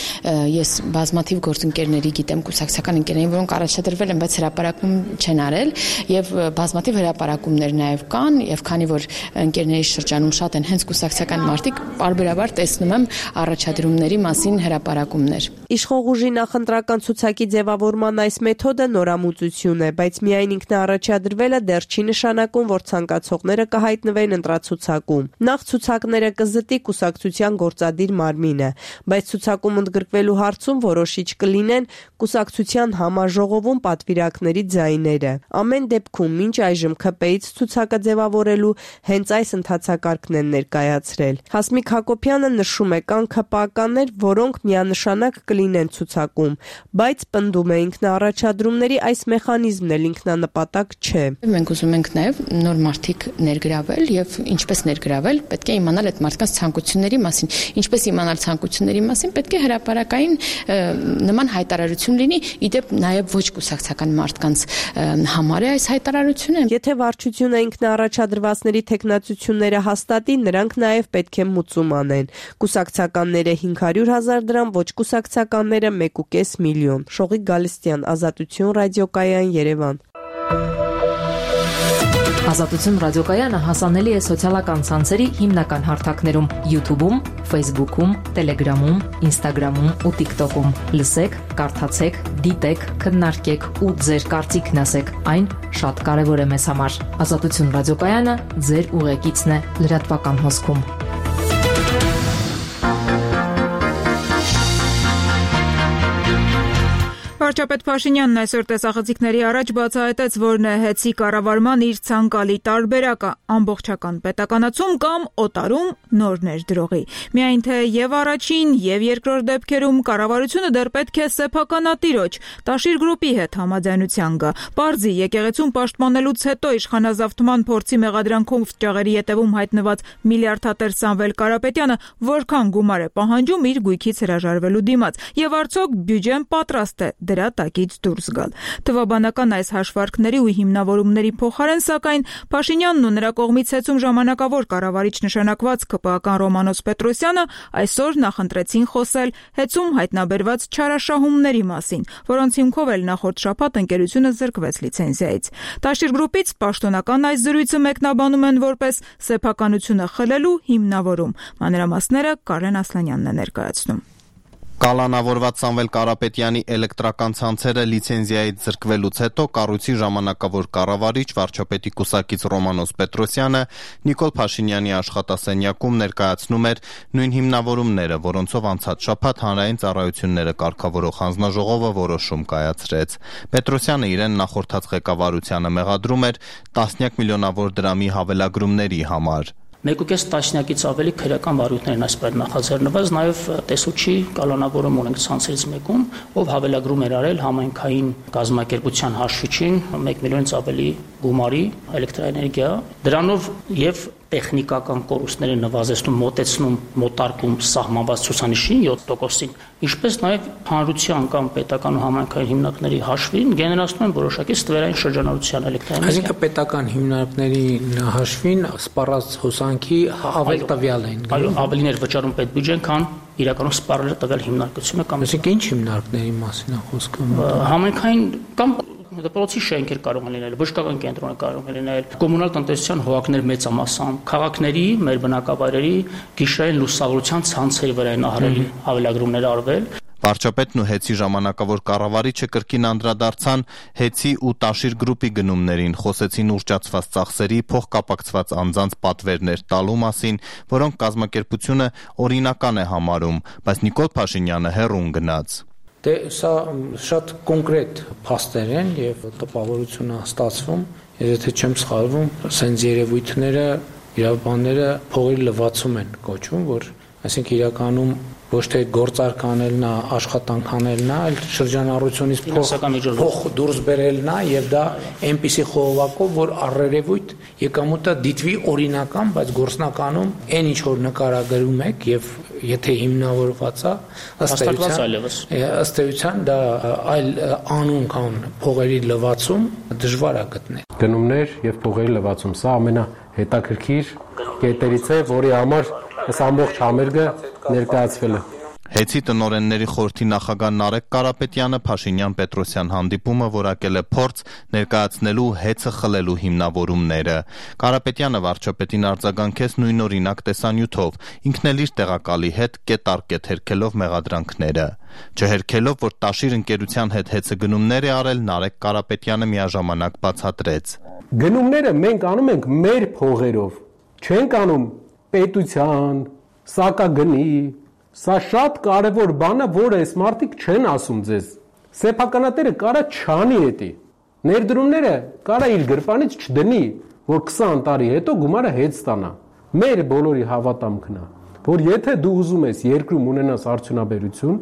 [SPEAKER 18] Ես բազմաթիվ գործընկերների գիտեմ, կուսակցական ընկերներին, որոնք առաջադրվել են, բայց հրապարակում չեն արել, եւ բազմաթիվ հրապարակումներ նաև կան, եւ քանի որ ընկերների շրջանում շատ են հենց կուսակցական մարդիկ, բարբերաբար տեսնում եմ առաջադրումների մասին հրապարակումներ։
[SPEAKER 15] Իշխող ուժի նախընտրական ցուցակի ձևավորման այս մեթոդը նորամուծություն է, բայց միայն ինքնաառաջադրվելը դեռ չի նշանակում, որ ցանկացողները կհայտնվեն ընտրացուցակում։ Նախ ցուցակները կզտի կուսակցության գործադիր մարմինը, բայց ցուցակում ընդգրկվելու հարցում որոշիչ կլինեն կուսակցության համաժողովում պատվիրակների ձայները։ Ամեն դեպքում մինչ այժմ ՔՊ-ից ցուցակը ձևավորելու հենց այս ընթացակարգն են ներկայացրել։ Հասմիկ Հակոբյանը նշում է, կան ՔՊ-ականներ, որոնք միանշանակ կլինեն ցուցակում, բայց պնդում է ինքնաառաջադրումների այս մեխանիզմն էլ ինքնանպատակ չէ։
[SPEAKER 18] Մենք ուզում ենք նաև նոր մարդիկ ներգրավել եւ ինչպես ներգրավել, պետք է իմանալ այդ մարդկանց ցանկությունների մասին։ Ինչպես իմանալ ցանկությունների մասին, պետք է հրապարակային նման հայտարարություն լինի, իդեպ նաև ոչ կուսակցական մարդկանց համար է այս հայտարարությունը։
[SPEAKER 15] Եթե վարչությունը ինքնաառաջադրվածների տեխնացությունները հաստատի, նրանք նաև պետք է մուծում անեն։ Կուսակցականները հինգ հարյուր հազար դրամ, ոչ կուսակցականները մեկ ու կես միլիոն։ Շողիկ Գալստյան, Ազատություն ռադիոկայան, Երևան։
[SPEAKER 19] Ազատություն ռադիոկայանը հասանելի է սոցիալական ցանցերի հիմնական հարթակներում՝ YouTube-ում, Facebook-ում, Telegram-ում, Instagram-ում ու TikTok-ում։ Լսեք, կարդացեք, դիտեք, քննարկեք ու ձեր կարծիքն ասեք։ Այն շատ կարևոր է մեզ համար։ Ազատություն ռադիոկայանը ձեր ուղեկիցն է լրատվական հոսքում։
[SPEAKER 1] Վարչապետ Փաշինյանն այսօր տեսախցիկների առաջ բացահայտեց, որ նեհեցի կառավարման իր ցանկալի տարբերակը ամբողջական պետականացում կամ օտարում նորներ դրողի։ Միայն թե եւ առաջին եւ երկրորդ դեպքերում կառավարությունը դեռ պետք է սեփականատիրոջ Տաշիր գրուպի հետ համաձայնության գա։ Պարզի եկեղեցուն պաշտպանելուց հետո իշխանազավթման փորձի մեղադրանքով ճաղերի ետևում հայտնված միլիարդատեր Սամվել Կարապետյանը որքան գումար է պահանջում իր գույքից հրաժարվելու դիմաց եւ արդյոք բյուջեն պատրաստ է դրա տակից դուրս գալ։ Թվաբանական այս հաշվարկների ու հիմնավորումների փոխարեն, սակայն Փաշինյանն ու նրա կողմից հեծում ժամանակավոր կառավարիչ նշանակված ԿՊԱ-ական Ռոմանոս Պետրոսյանը այսօր նախընտրեցին խոսել հեծում հայտնաբերված չարաշահումների մասին, որոնց հիմքով էլ նախորդ շաբաթ ընկերությունը զրկվեց լիցենզիայից։ Տաշիր գրուպից պաշտոնական այս զրույցը մեկնաբանում են որպես սեփականությունը խլելու հիմնավորում։ Մանրամասները Կարեն Ասլանյանն է ներկայացնում։
[SPEAKER 20] Կալանավորված Սամվել Կարապետյանի էլեկտրական ցանցերը լիցենզիայից զրկվելուց հետո կառույցի ժամանակավոր կառավարիչ վարչապետի կուսակից Ռոմանոս Պետրոսյանը Նիկոլ Փաշինյանի աշխատասենյակում ներկայացնում էր նույն հիմնավորումները, որոնցով անցած շաբաթ հանրային ծառայությունները կարգավորող հանձնաժողովը որոշում կայացրեց։ Պետրոսյանը իրեն նախորդած ղեկավարությանը մեղադրում էր տասնյակ միլիոնավոր դրամի հավելագրումների համար։
[SPEAKER 21] Մեկ ու կես տասնյակից ավելի քրեական վարույթներ են այսպես նախաձեռնված, նաև տեսուչի կալանավորում ունենք ցանցերից մեկում, ով հավելագրում էր արել համայնքային գազམ་ակերպության հաշվիչին մեկ միլիոնից ավելի գումարի էլեկտրաէներգիա, դրանով եւ տեխնիկական կորուստները նվազեցնում, մոտեցնում, մոտարկում սահմանված ցուցանիշին յոթ տոկոսին, ինչպես նաև հանրության կամ պետական ու համայնքային հիմնարկների հաշվին գեներացնում են որոշակի ստվերային շրջանառության էլեկտրաէներգիա։
[SPEAKER 22] Այսինքն պետական հիմնարկների հաշվին սպառած հոսանքի ավել տվյալ են։
[SPEAKER 21] Այո, ավելին էր վճարում պետբյուջեն, քան իրականում սպառել է տվյալ հիմնարկությունը կամ
[SPEAKER 22] Այսինքն ինչ հիմնարկների մասին է խոսքը։
[SPEAKER 21] Համայնքային կամ դպրոցի շենքեր կարող են լինել, բժշկական կենտրոնը կարող է լինել, կոմունալ տնտեսության հողակներ մեծամասամբ, քաղաքների, մեր բնակավայրերի գիշերային լուսավորության ցանցերի վրա են ահռելի հավելագրումներ արվել։
[SPEAKER 20] Վարչապետն ու ՀԵՑ-ի ժամանակավոր կառավարիչը կրկին անդրադարձան ՀԵՑ-ի ու Տաշիր գրուպի գնումներին, խոսեցին ուռճացված ծախսերի, փոխկապակցված անձանց պատվերներ տալու մասին, որոնք կազմակերպությունը օրինական է համարում, բայց Նիկոլ Փաշինյանը հեռուն գնաց։
[SPEAKER 22] Դե սա շատ կոնկրետ փաստեր են եւ տպավորությունը ստացվում, եթե չեմ սխալվում, սենց երևույթները, իրավաբանները փողի լվացում են կոչվում, որ այսինքն իրականում ոչ թե գործարք անելն է, աշխատանք անելն է, այլ շրջանառությունից փող դուրս բերելն է եւ դա այնպիսի խողովակով, որ առերևույթ եկամուտը դիտվի օրինական, բայց գործնականում այն ինչ որ նկարագրում եք եւ եթե հիմնավորված է, ըստ էության դա այլ անուն կան փողերի լվացում դժվար է գտնել։
[SPEAKER 3] Գնումներ եւ փողերի լվացում, սա ամենահետաքրքիր կետերից է, որի համար այս ամբողջ համերգը ներկայացվել է։
[SPEAKER 20] ՀԵՑ-ի տնօրենների խորհրդի նախագահ Նարեկ Կարապետյանը Փաշինյան-Պետրոսյան հանդիպումը որակել է փորձ ներկայացնելու ՀԵՑ-ը խլելու հիմնավորումները։ Կարապետյանը վարչապետին արձագանքեց նույնօրինակ տեսանյութով, ինքն էլ իր տեղակալի հետ կետառ-կետ հերքելով մեղադրանքները։ Չհերքելով, որ Տաշիր ընկերության հետ ՀԵՑ-ը գնումներ է արել, Նարեկ Կարապետյանը միաժամանակ բացատրեց։
[SPEAKER 3] Գնումները մենք անում ենք մեր փողերով, չենք անում պետության, սակագնի, սա շատ կարևոր բան է, որը այս մարդիկ չեն ասում ձեզ։ Սեփականատերը կարա չանի էտի։ Ներդրումները կարա իր գրպանից չդնի, որ քսան տարի հետո գումարը հետ ստանա։ Մեր բոլորի հավատամքն է, որ եթե դու ուզում ես երկրում ունենաս արդյունաբերություն,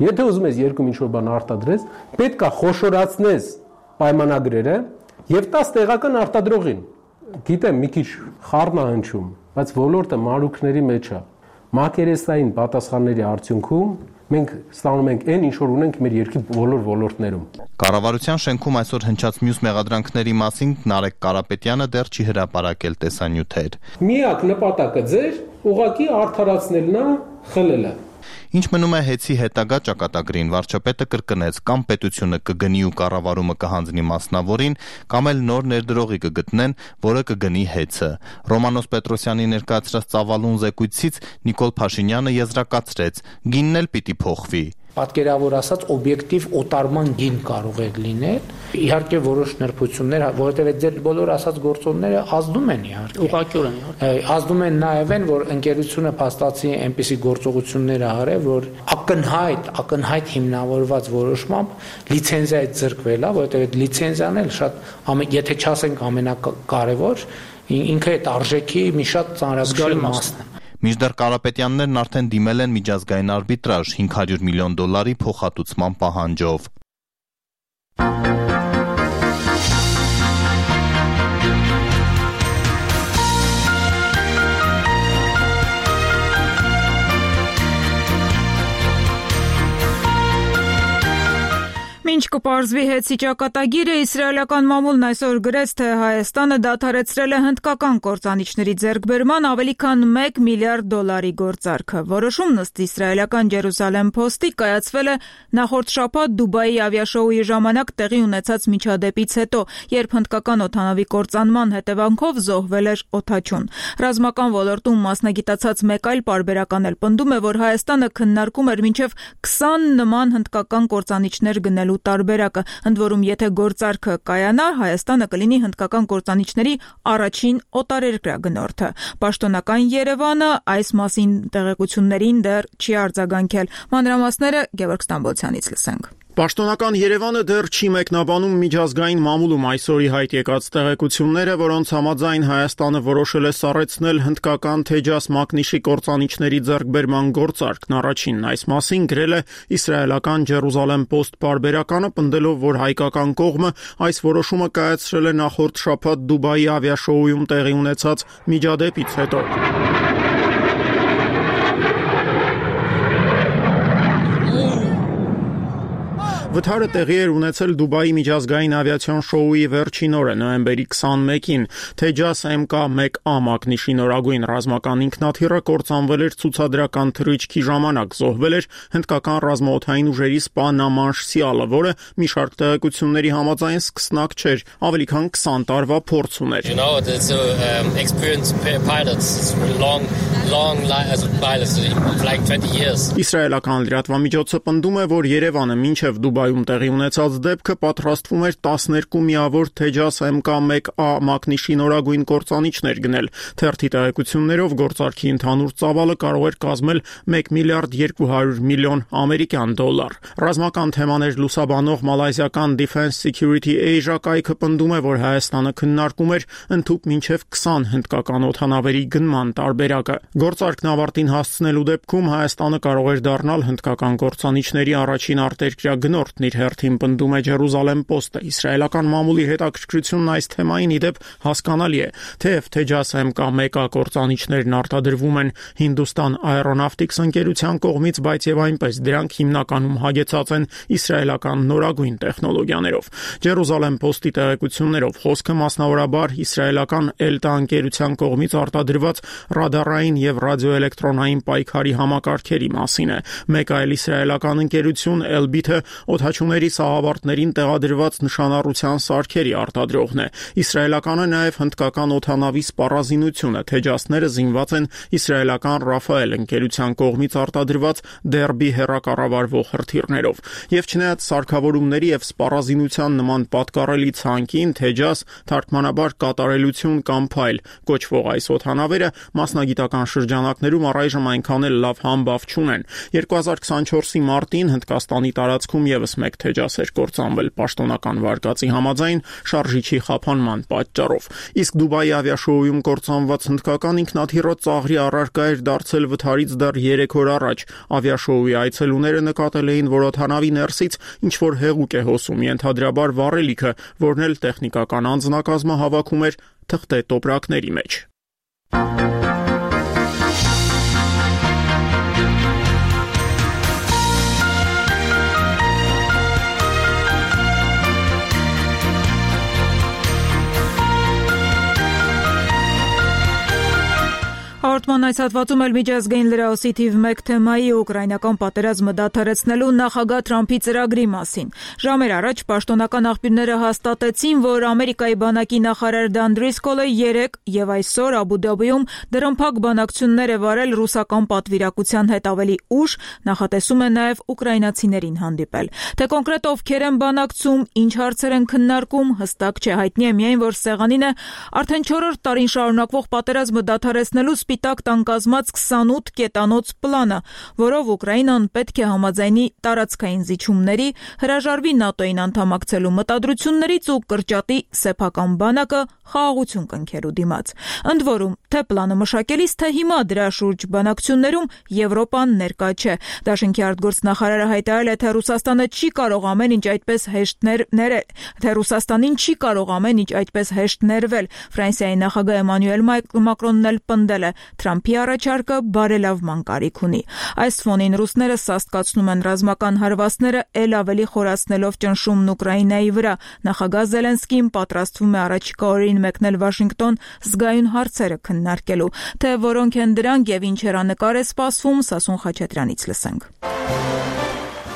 [SPEAKER 3] եթե ուզում ես երկրում ինչ-որ բան արտադրես, պետք է խոշորացնես պայմանագրերը եւ տաս տեղական արտադրողին։ Գիտեմ, մի քիչ խառն է հնչում, բայց ոլորտը մարուքների մեջ է։ Մակերեսային պատասխանների արդյունքում մենք ստանում ենք այն, ինչ որ ունենք մեր երկրի բոլոր ոլորտներում։
[SPEAKER 20] Կառավարության շենքում այսօր հնչած մյուս մեղադրանքների մասին Նարեկ Կարապետյանը դեռ չի հրապարակել տեսանյութեր։
[SPEAKER 3] Միակ նպատակը ձեր ուղղակի արդարացնելն է, խլելը։
[SPEAKER 20] Ինչ մնում է ՀԵՑ-ի հետագա ճակատագրին, վարչապետը կրկնեց կամ պետությունը կգնի ու կառավարումը կհանձնի մասնավորին, կամ էլ նոր ներդրողի կգտնեն, որը կգնի ՀԵՑ-ը։ Ռոմանոս Պետրոսյանի ներկայացրած ծավալուն զեկույցից Նիկոլ Փաշինյանը եզրակացրեց՝ գինն էլ պիտի փոխվի։
[SPEAKER 22] Պատկերավոր ասած օբյեկտիվ օտարման գին կարող է լինել, իհարկե որոշ նրբություններ, որովհետև ձեր բոլոր ասած գործոնները ազդում են իհարկե։
[SPEAKER 21] Ուղղակիորեն իհարկե։
[SPEAKER 22] Ազդում են նաև են, որ ընկերությունը փաստացի այնպիսի գործողություններ արել, որ ակնհայտ, ակնհայտ հիմնավորված որոշմամբ լիցենզիա ձեռքվել է, որովհետև այդ լիցենզիան էլ շատ, եթե չասենք ամենակարևոր, ինքը այդ արժեքի մի շատ ծանրագույն մասն է։
[SPEAKER 20] Մինչդեռ Կարապետյաններն արդեն դիմել են միջազգային արբիտրաժ հինգ հարյուր միլիոն դոլարի փոխհատուցման պահանջով։
[SPEAKER 1] Մինչ կպարզվի ՀԵՑ-ի ճակատագիրը, իսրայելական մամուլն այսօր գրեց, թե Հայաստանը դադարեցրել է հնդկական կործանիչների ձեռքբերման ավելի քան մեկ միլիարդ դոլարի գործարքը։ Որոշումն ըստ իսրայելական Ջերուսալեմ Փոստի կայացվել է նախորդ շաբաթ Դուբայի ավիաշոուի ժամանակ տեղի ունեցած միջադեպից հետո, երբ հնդկական օդանավի կործանման հետևանքով զոհվել էր օդաչուն։ Ռազմական ոլորտում մասնագիտացած մեկ այլ պարբերական էլ պնդում է, որ Հայաստանը քննարկում էր մինչև քսան նման հնդկական կործանիչներ գնելու տարբերակը, ընդ որում եթե գործարքը կայանա, Հայաստանը կլինի հնդկական կործանիչների առաջին օտարերկրյա գնորդը։ Պաշտոնական Երևանը այս մասին տեղեկություններին դեռ չի արձագանքել։ Մանրամասները Գևորգ Ստամբոլցյանից լսենք։
[SPEAKER 4] Պաշտոնական Երևանը դեռ չի մեկնաբանում միջազգային մամուլում այսօրի հայտ եկած տեղեկությունները, որոնց համաձայն Հայաստանը որոշել է սառեցնել հնդկական Թեջաս մակնիշի կործանիչների ձեռքբերման գործարքն։ Առաջինն այս մասին գրել է իսրայելական Ջերուսալեմ Post պարբերականը, պնդելով, որ հայկական կողմը այս որոշումը կայացրել է նախորդ շաբաթ Դուբայի ավիաշոուում տեղի ունեցած միջադեպից հետո։ Վթարը տեղի էր ունեցել Դուբայի միջազգային ավիացիոն շոուի վերջին օրը, նոյեմբերի քսանմեկին։ Թեջաս էմ կա մեկ A մակնիշի նորագույն ռազմական ինքնաթիռը կործանվել էր ցուցադրական թռիչքի ժամանակ, զոհվել էր հնդկական ռազմաօդային ուժերի սպա Նամանշ Սիալը, որը մի շարք տեղեկությունների համաձայն սկսնակ չէր, ավելի քան քսան տարվա փորձ ուներ։
[SPEAKER 23] You know, it's a um, experienced pilots. It's long
[SPEAKER 5] long as a pilot like twenty years.
[SPEAKER 4] Իսրայելական լրատվամիջոցը պնդում է, որ Երևանը մինչև Դուբայում տեղի ունեցած դեպքը պատրաստվում էր տասներկու միավոր Թեջաս էմ կա մեկ A մակնիշի նորագույն կործանիչներ գնել։ Թերթի տեղեկություններով գործարքի ընդհանուր ծավալը կարող էր կազմել մեկ միլիարդ երկու հարյուր միլիոն ամերիկյան դոլար։ Ռազմական թեմաներ լուսաբանող մալայզիական Defense Security Asia կայքը պնդում է, որ Հայաստանը քննարկում էր ընդհուպ մինչև քսան հնդկական օդանավերի գնման տարբերակը։ Գործարքն ավարտին հասցնելու դեպքում Հայաստանը կարող էր դառնալ հնդկական կործանիչների առաջին արտերկրյա գնորդն իր հերթին պնդում է Jerusalem Post-ը։ Իսրայելական մամուլի հետաքրքրությունն այս թեմային ի դեպ հասկանալի է, թեև Թեջաս էմ կա մեկ A կործանիչներն արտադրվում են Hindustan Aeronautics ընկերության կողմից, բայց եւ այնպես դրանք հիմնականում հագեցած են իսրայելական նորագույն տեխնոլոգիաներով։ Jerusalem Post-ի տեղեկություններով խոսքը մասնավորաբար իսրայելական Elta ընկերության կողմից արտադրված ռադարային եւ ռադիոէլեկտրոնային պայքարի համակարգերի մասին է։ Մեկ այլ իսրայելական ընկերություն Elbit-ը օդաչուների սահավարտներին տեղադրված նշանառության սարքերի արտադրողն է։ Իսրայելականը նաեւ հնդկական օդանավի սպառազինությունը Թեջասները զինված են իսրայելական Rafael ընկերության կողմից արտադրված Derby հեռակառավարվող հրթիռներով։ Եվ չնայած սարքավորումների եւ սպառազինության նման պատկառելի ցանկին Թեջաս թարգմանաբար կատարելություն կամ փայլ կոչվող այս օդանավերը մասնագիտական շրջանակներում առայժմ այնքան էլ լավ համբավ չունեն։ երկու հազար քսանչորսի մարտին Հնդկաստանի տարածքում եւս մեկ Թեջաս էր կործանվել պաշտոնական վարկածի համաձայն շարժիչի խափանման պատճառով։ Իսկ Դուբայի ավիաշոուում կործանված հնդկական ինքնաթիռը ծաղրի առարկա էր դարձել վթարից դեռ երեք օր առաջ։ Ավիաշոուի այցելուները նկատել էին, որ օդանավի ներսից ինչ որ հեղուկ է հոսում, ենթադրաբար վառելիքը, որն էլ տեխնիկական անձնակազմը հավաքում էր թղթե տոպրակների մեջ։
[SPEAKER 1] Հաղորդման այս հատվածում էլ միջազգային լրահոսի թիվ մեկ թեմայի ուկրաինական պատերազմը դադարեցնելու նախագահ Թրամփի ծրագրի մասին։ Ժամեր առաջ պաշտոնական աղբյուրները հաստատեցին, որ Ամերիկայի բանակի նախարար Դան Դրիսկոլը երեկ եւ այսօր Աբու Դաբիում դրամփակ բանակցություններ է վարել ռուսական պատվիրակության հետ ավելի ուշ, նախատեսում է նաեւ ուկրաինացիներին հանդիպել։ Թե կոնկրետ ովքեր են բանակցում, ինչ հարցեր են քննարկում, հստակ չէ, հայտնի է միայն, որ սեղանին է արդեն չորրորդ տարին շարունակվող պատերազմը դադարեցնելու Սպիտակ տան կազմած քսանութ կետանոց պլանը, որով Ուկրաինան պետք է համաձայնի տարածքային զիջումների, հրաժարվի ՆԱՏՕ-ին անդամակցելու մտադրություններից ու կրճատի սեփական բանակը խաղաղություն կնքելու դիմաց։ Ընդ որում, թե պլանը մշակելիս, թե հիմա դրա շուրջ բանակցություններում Եվրոպան ներկա չէ։ Դաշինքի արտգործնախարարը հայտարարել է, թե Ռուսաստանը չի կարող ամեն ինչ այդպես հեշտ ներել, թե Ռուսաստանին չի կարող ամեն ինչ այդպես հեշտ ներվել։ Ֆրանսիայի նախագահ Էմանուել Մակրոնն էլ պնդել է, Թրամփի առաջարկը բարելավման կարիք ունի։ Այս ֆոնին ռուսները սաստկացնում են ռազմական հարվածները, ել ավելի խորացնելով ճնշումն Ուկրաինայի վրա։ Նախագահ Զելենսկին պատրաստվում է առաջիկա օրերին մեկնել Վաշինգտոն զգայուն հարցերը քննարկելու։ Թե որոնք են դրանք եւ ինչ հեռանկար է սպասվում, Սասուն Խաչատրյանից լսենք։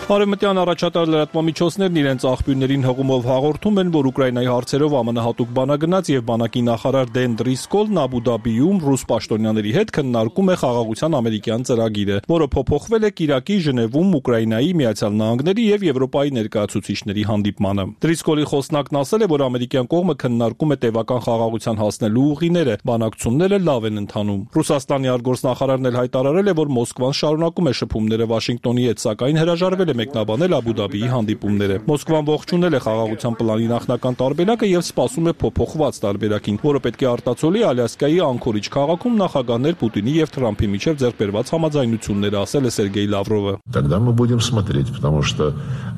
[SPEAKER 6] Արևմտյան առաջատար լրատվամիջոցներն իրենց աղբյուրներին հղումով հաղորդում են, որ Ուկրաինայի հարցերով ԱՄՆ հատուկ բանագնաց եւ բանակի նախարար Դեն Դրիսկոլն Աբու Դաբիում ռուս պաշտոնյաների հետ քննարկում է խաղաղության ամերիկյան ծրագիրը, որը փոփոխվել է Կիրակի Ժնևում Ուկրաինայի, Միացյալ Նահանգների եւ Եվրոպայի ներկայացուցիչների հանդիպմանը։ Դրիսկոլի խոսնակն ասել է, որ ամերիկյան կողմը քննարկում է տևական խաղաղության հասնելու ուղիները, բանակցությունները լավ են ընթանում։ Ռուսաստանի արտգործնախարարն էլ հայտարարել է, որ Մոսկվան շարունակում է շփումները Վաշինգտոնի հետ, սակայն հրաժարվել է մեկնաբանել Աբու Դաբիի հանդիպումները։ Մոսկվան ողջունել է խաղաղության պլանի նախնական տարբերակը եւ սպասում է փոփոխված տարբերակին, որը պետք է արտացոլի Ալյասկայի Անկորիջ քաղաքում նախագահներ Պուտինի եւ Թրամփի միջև ձեռքբերված համաձայնությունները, ասել է Սերգեյ Լավրովը։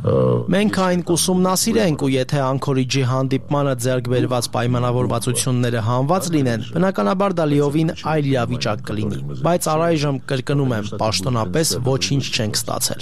[SPEAKER 23] Մենք այն կուսումնասիրենք, ու եթե Անկորիջի հանդիպմանը ձեռքբերված պայմանավորվածությունները հանված լինեն, բնականաբար դա լիովին այլ իրավիճակ կլինի, բայց առայժմ կրկնում եմ, պաշտոնապես ոչինչ չենք ստացել։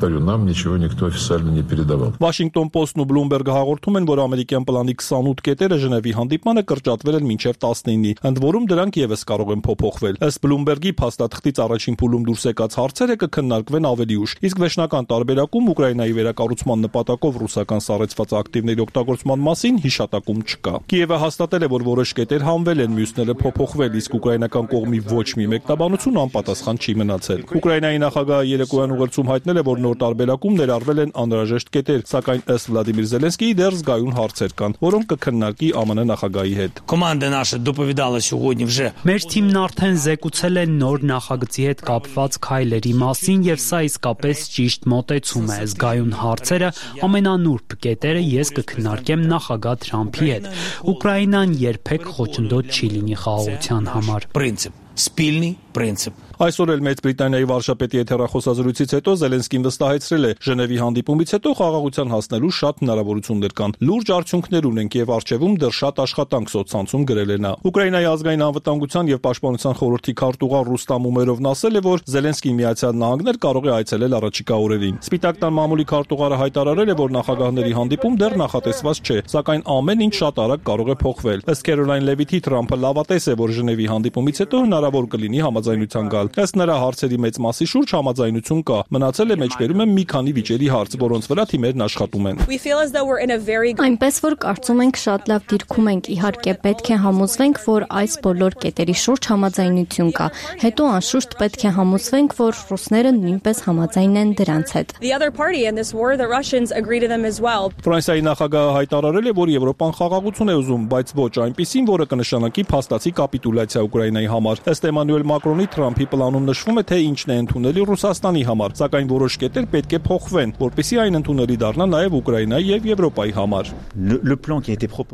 [SPEAKER 7] повторю, нам ничего никто официально не передавал.
[SPEAKER 6] Washington Post-ն ու Bloomberg-ը հաղորդում են, որ ամերիկյան պլանի քսանութ կետերը Ժնևի հանդիպմանը կրճատվել են մինչև տասնինի, ընդ որում դրանք եւս կարող են փոփոխվել։ Ըստ Bloomberg-ի փաստաթղթից առաջին փուլում դուրս եկած հարցերը կքննարկվեն ավելի ուշ, իսկ վերջնական տարբերակում Ուկրաինայի վերակառուցման նպատակով ռուսական սառեցված ակտիվների օգտագործման մասին հիշատակում չկա։ Կիևը հաստատել է, որ որոշ կետեր հանվել են, մյուսները փոփոխվել, իսկ ուկրաինական կողմի ոչ մի մեկնաբանություն անպատասխան չի մնացել։ Ուկրաինայի նախագահը երեկոյան ուղերձում հայտնել է, որ նոր տարբերակում ներառվել են անհրաժեշտ կետեր, սակայն ըստ Վլադիմիր Զելենսկիի դեռ զգայուն հարցեր կան, որոնք կքննարկի ԱՄՆ նախագահի հետ։
[SPEAKER 9] Կոմանդա наша доповідала сьогодні вже. Մեր թիմն արդեն զեկուցել է նոր նախագծի հետ կապված քայլերի մասին եւ սա իսկապես ճիշտ մոտեցում է։ Զգայուն հարցերը, ամենանուրբ կետերը ես կքննարկեմ նախագահ Թրամփի հետ։ Ուկրաինան երբեք խոչընդոտ չի լինի խաղաղության համար։ Պրինցիպ, спільний принцип.
[SPEAKER 6] Այսօր էլ Մեծ Բրիտանիայի վարչապետի հետ հեռախոսազրույցից հետո Զելենսկին վստահեցրել է, Ժնևի հանդիպումից հետո խաղաղության հասնելու շատ հնարավորություններ կան։ Լուրջ արդյունքներ ունենք եւ արժեվում դեռ շատ աշխատանք սոցցանցում գրել է նա։ Ուկրաինայի ազգային անվտանգության եւ պաշտպանության խորհրդի քարտուղար Ռուստամ Ումերովն ասել է, որ Զելենսկին Միացյալ Նահանգներ կարող է այցելել առաջիկա օրերին։ Սպիտակ տան մամուլի քարտուղարը հայտարարել է, որ նախագահների հանդիպում դեռ նախատեսված չէ, սակայն ամեն ինչ շատ արագ կարող է փոխվել։ Ըստ Քերոլայն Լևիթի Թրամփը լավատես է, որ Ժնևի հանդիպումից հետո հնարավոր կլինի համաձայնության գալ։ Ըստ նրա հարցերի մեծ մասի շուրջ համաձայնություն կա։ Մնացել է մեջբերում եմ մի քանի վիճերի հարց, որոնց վրա թիմերն աշխատում են։
[SPEAKER 10] Այնպես որ կարծում ենք շատ լավ դիրքում ենք, իհարկե պետք է համոզվենք, որ այս բոլոր կետերի շուրջ համաձայնություն կա։ Հետո անշուշտ պետք է համոզվենք, որ ռուսները նույնպես համաձայն են դրանց հետ։
[SPEAKER 6] Ֆրանսիայի նախագահը հայտարարել է, որ Եվրոպան խաղաղություն է ուզում, բայց ոչ այնպիսին, որը կնշանակի փաստացի կապիտուլյացիա Ուկրաինայի համար։ Ըստ Էմանուել Մակրոնի Թրամփի պլանում նշվում է, թե ինչն է ընդունելի Ռուսաստանի համար, սակայն որոշ կետեր պետք է փոխվեն, որպեսզի այն ընդունելի դառնա նաև Ուկրաինայի եւ Եվրոպայի համար։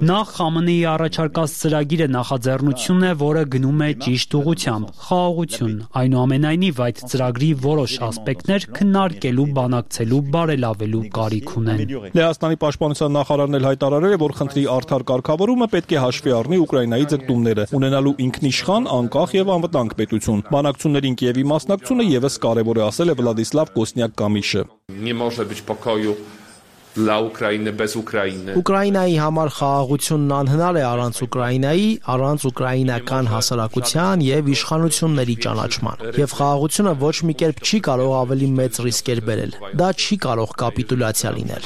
[SPEAKER 9] Նախ ԱՄՆ-ի առաջարկած ծրագիրը նախաձեռնությունն է, որը գնում է ճիշտ ուղղությամբ՝ խաղաղություն։ Այնուամենայնիվ այդ ծրագրի որոշ ասպեկտներ քննարկելու, բանակցելու, բարելավելու կարիք ունեն։
[SPEAKER 6] Լեհաստանի պաշտպանության նախարարն էլ հայտարարել է, որ խնդրի արդար կարգավորումը պետք է հաշվի առնի Ուկրաինայի ձգտումները, ունենալու ինքնիշխան, անկախ եւ անվտանգ պետություն։ Բանակցություններին Կիևի մասնակցությունը եւս կարեւոր է, ասել է Վլադիսլավ Կոսնյակ-Կամիշը։
[SPEAKER 23] Ուկրաինայի համար խաղաղությունն անհնար է առանց Ուկրաինայի, առանց ուկրաինական հասարակության եւ իշխանությունների ճանաչման։ Եւ խաղաղությունը ոչ մի կերպ չի կարող ավելի մեծ ռիսկեր բերել։ Դա չի կարող կապիտուլյացիա լինել։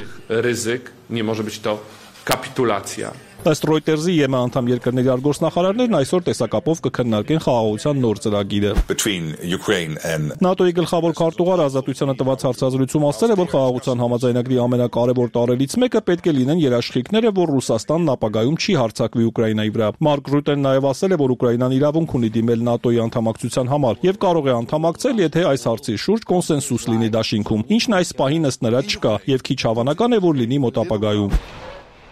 [SPEAKER 6] Ըստ Reuters-ի ԵՄ անդամ երկրների արտգործնախարարներն այսօր տեսակապով կքննարկեն խաղաղության նոր ծրագիրը։ ՆԱՏՕ-ի գլխավոր քարտուղար ազատությանը տված հարցազրույցում ասել է, որ խաղաղության համաձայնագրի ամենակարևոր տարրերից մեկը պետք է լինեն երաշխիքները, որ Ռուսաստանն ապագայում չի հարձակվի Ուկրաինայի վրա։ Մարկ Ռուտեն նաև ասել է, որ Ուկրաինան իրավունք ունի դիմել ՆԱՏՕ-ի անդամակցության համար եւ կարող է անդամակցել, եթե այս հարցի շուրջ կոնսենսուս լինի դաշինքում, ինչն այս պահին ըստ նրա չկա եւ քիչ հավանական է, որ լինի մոտ ապագայում։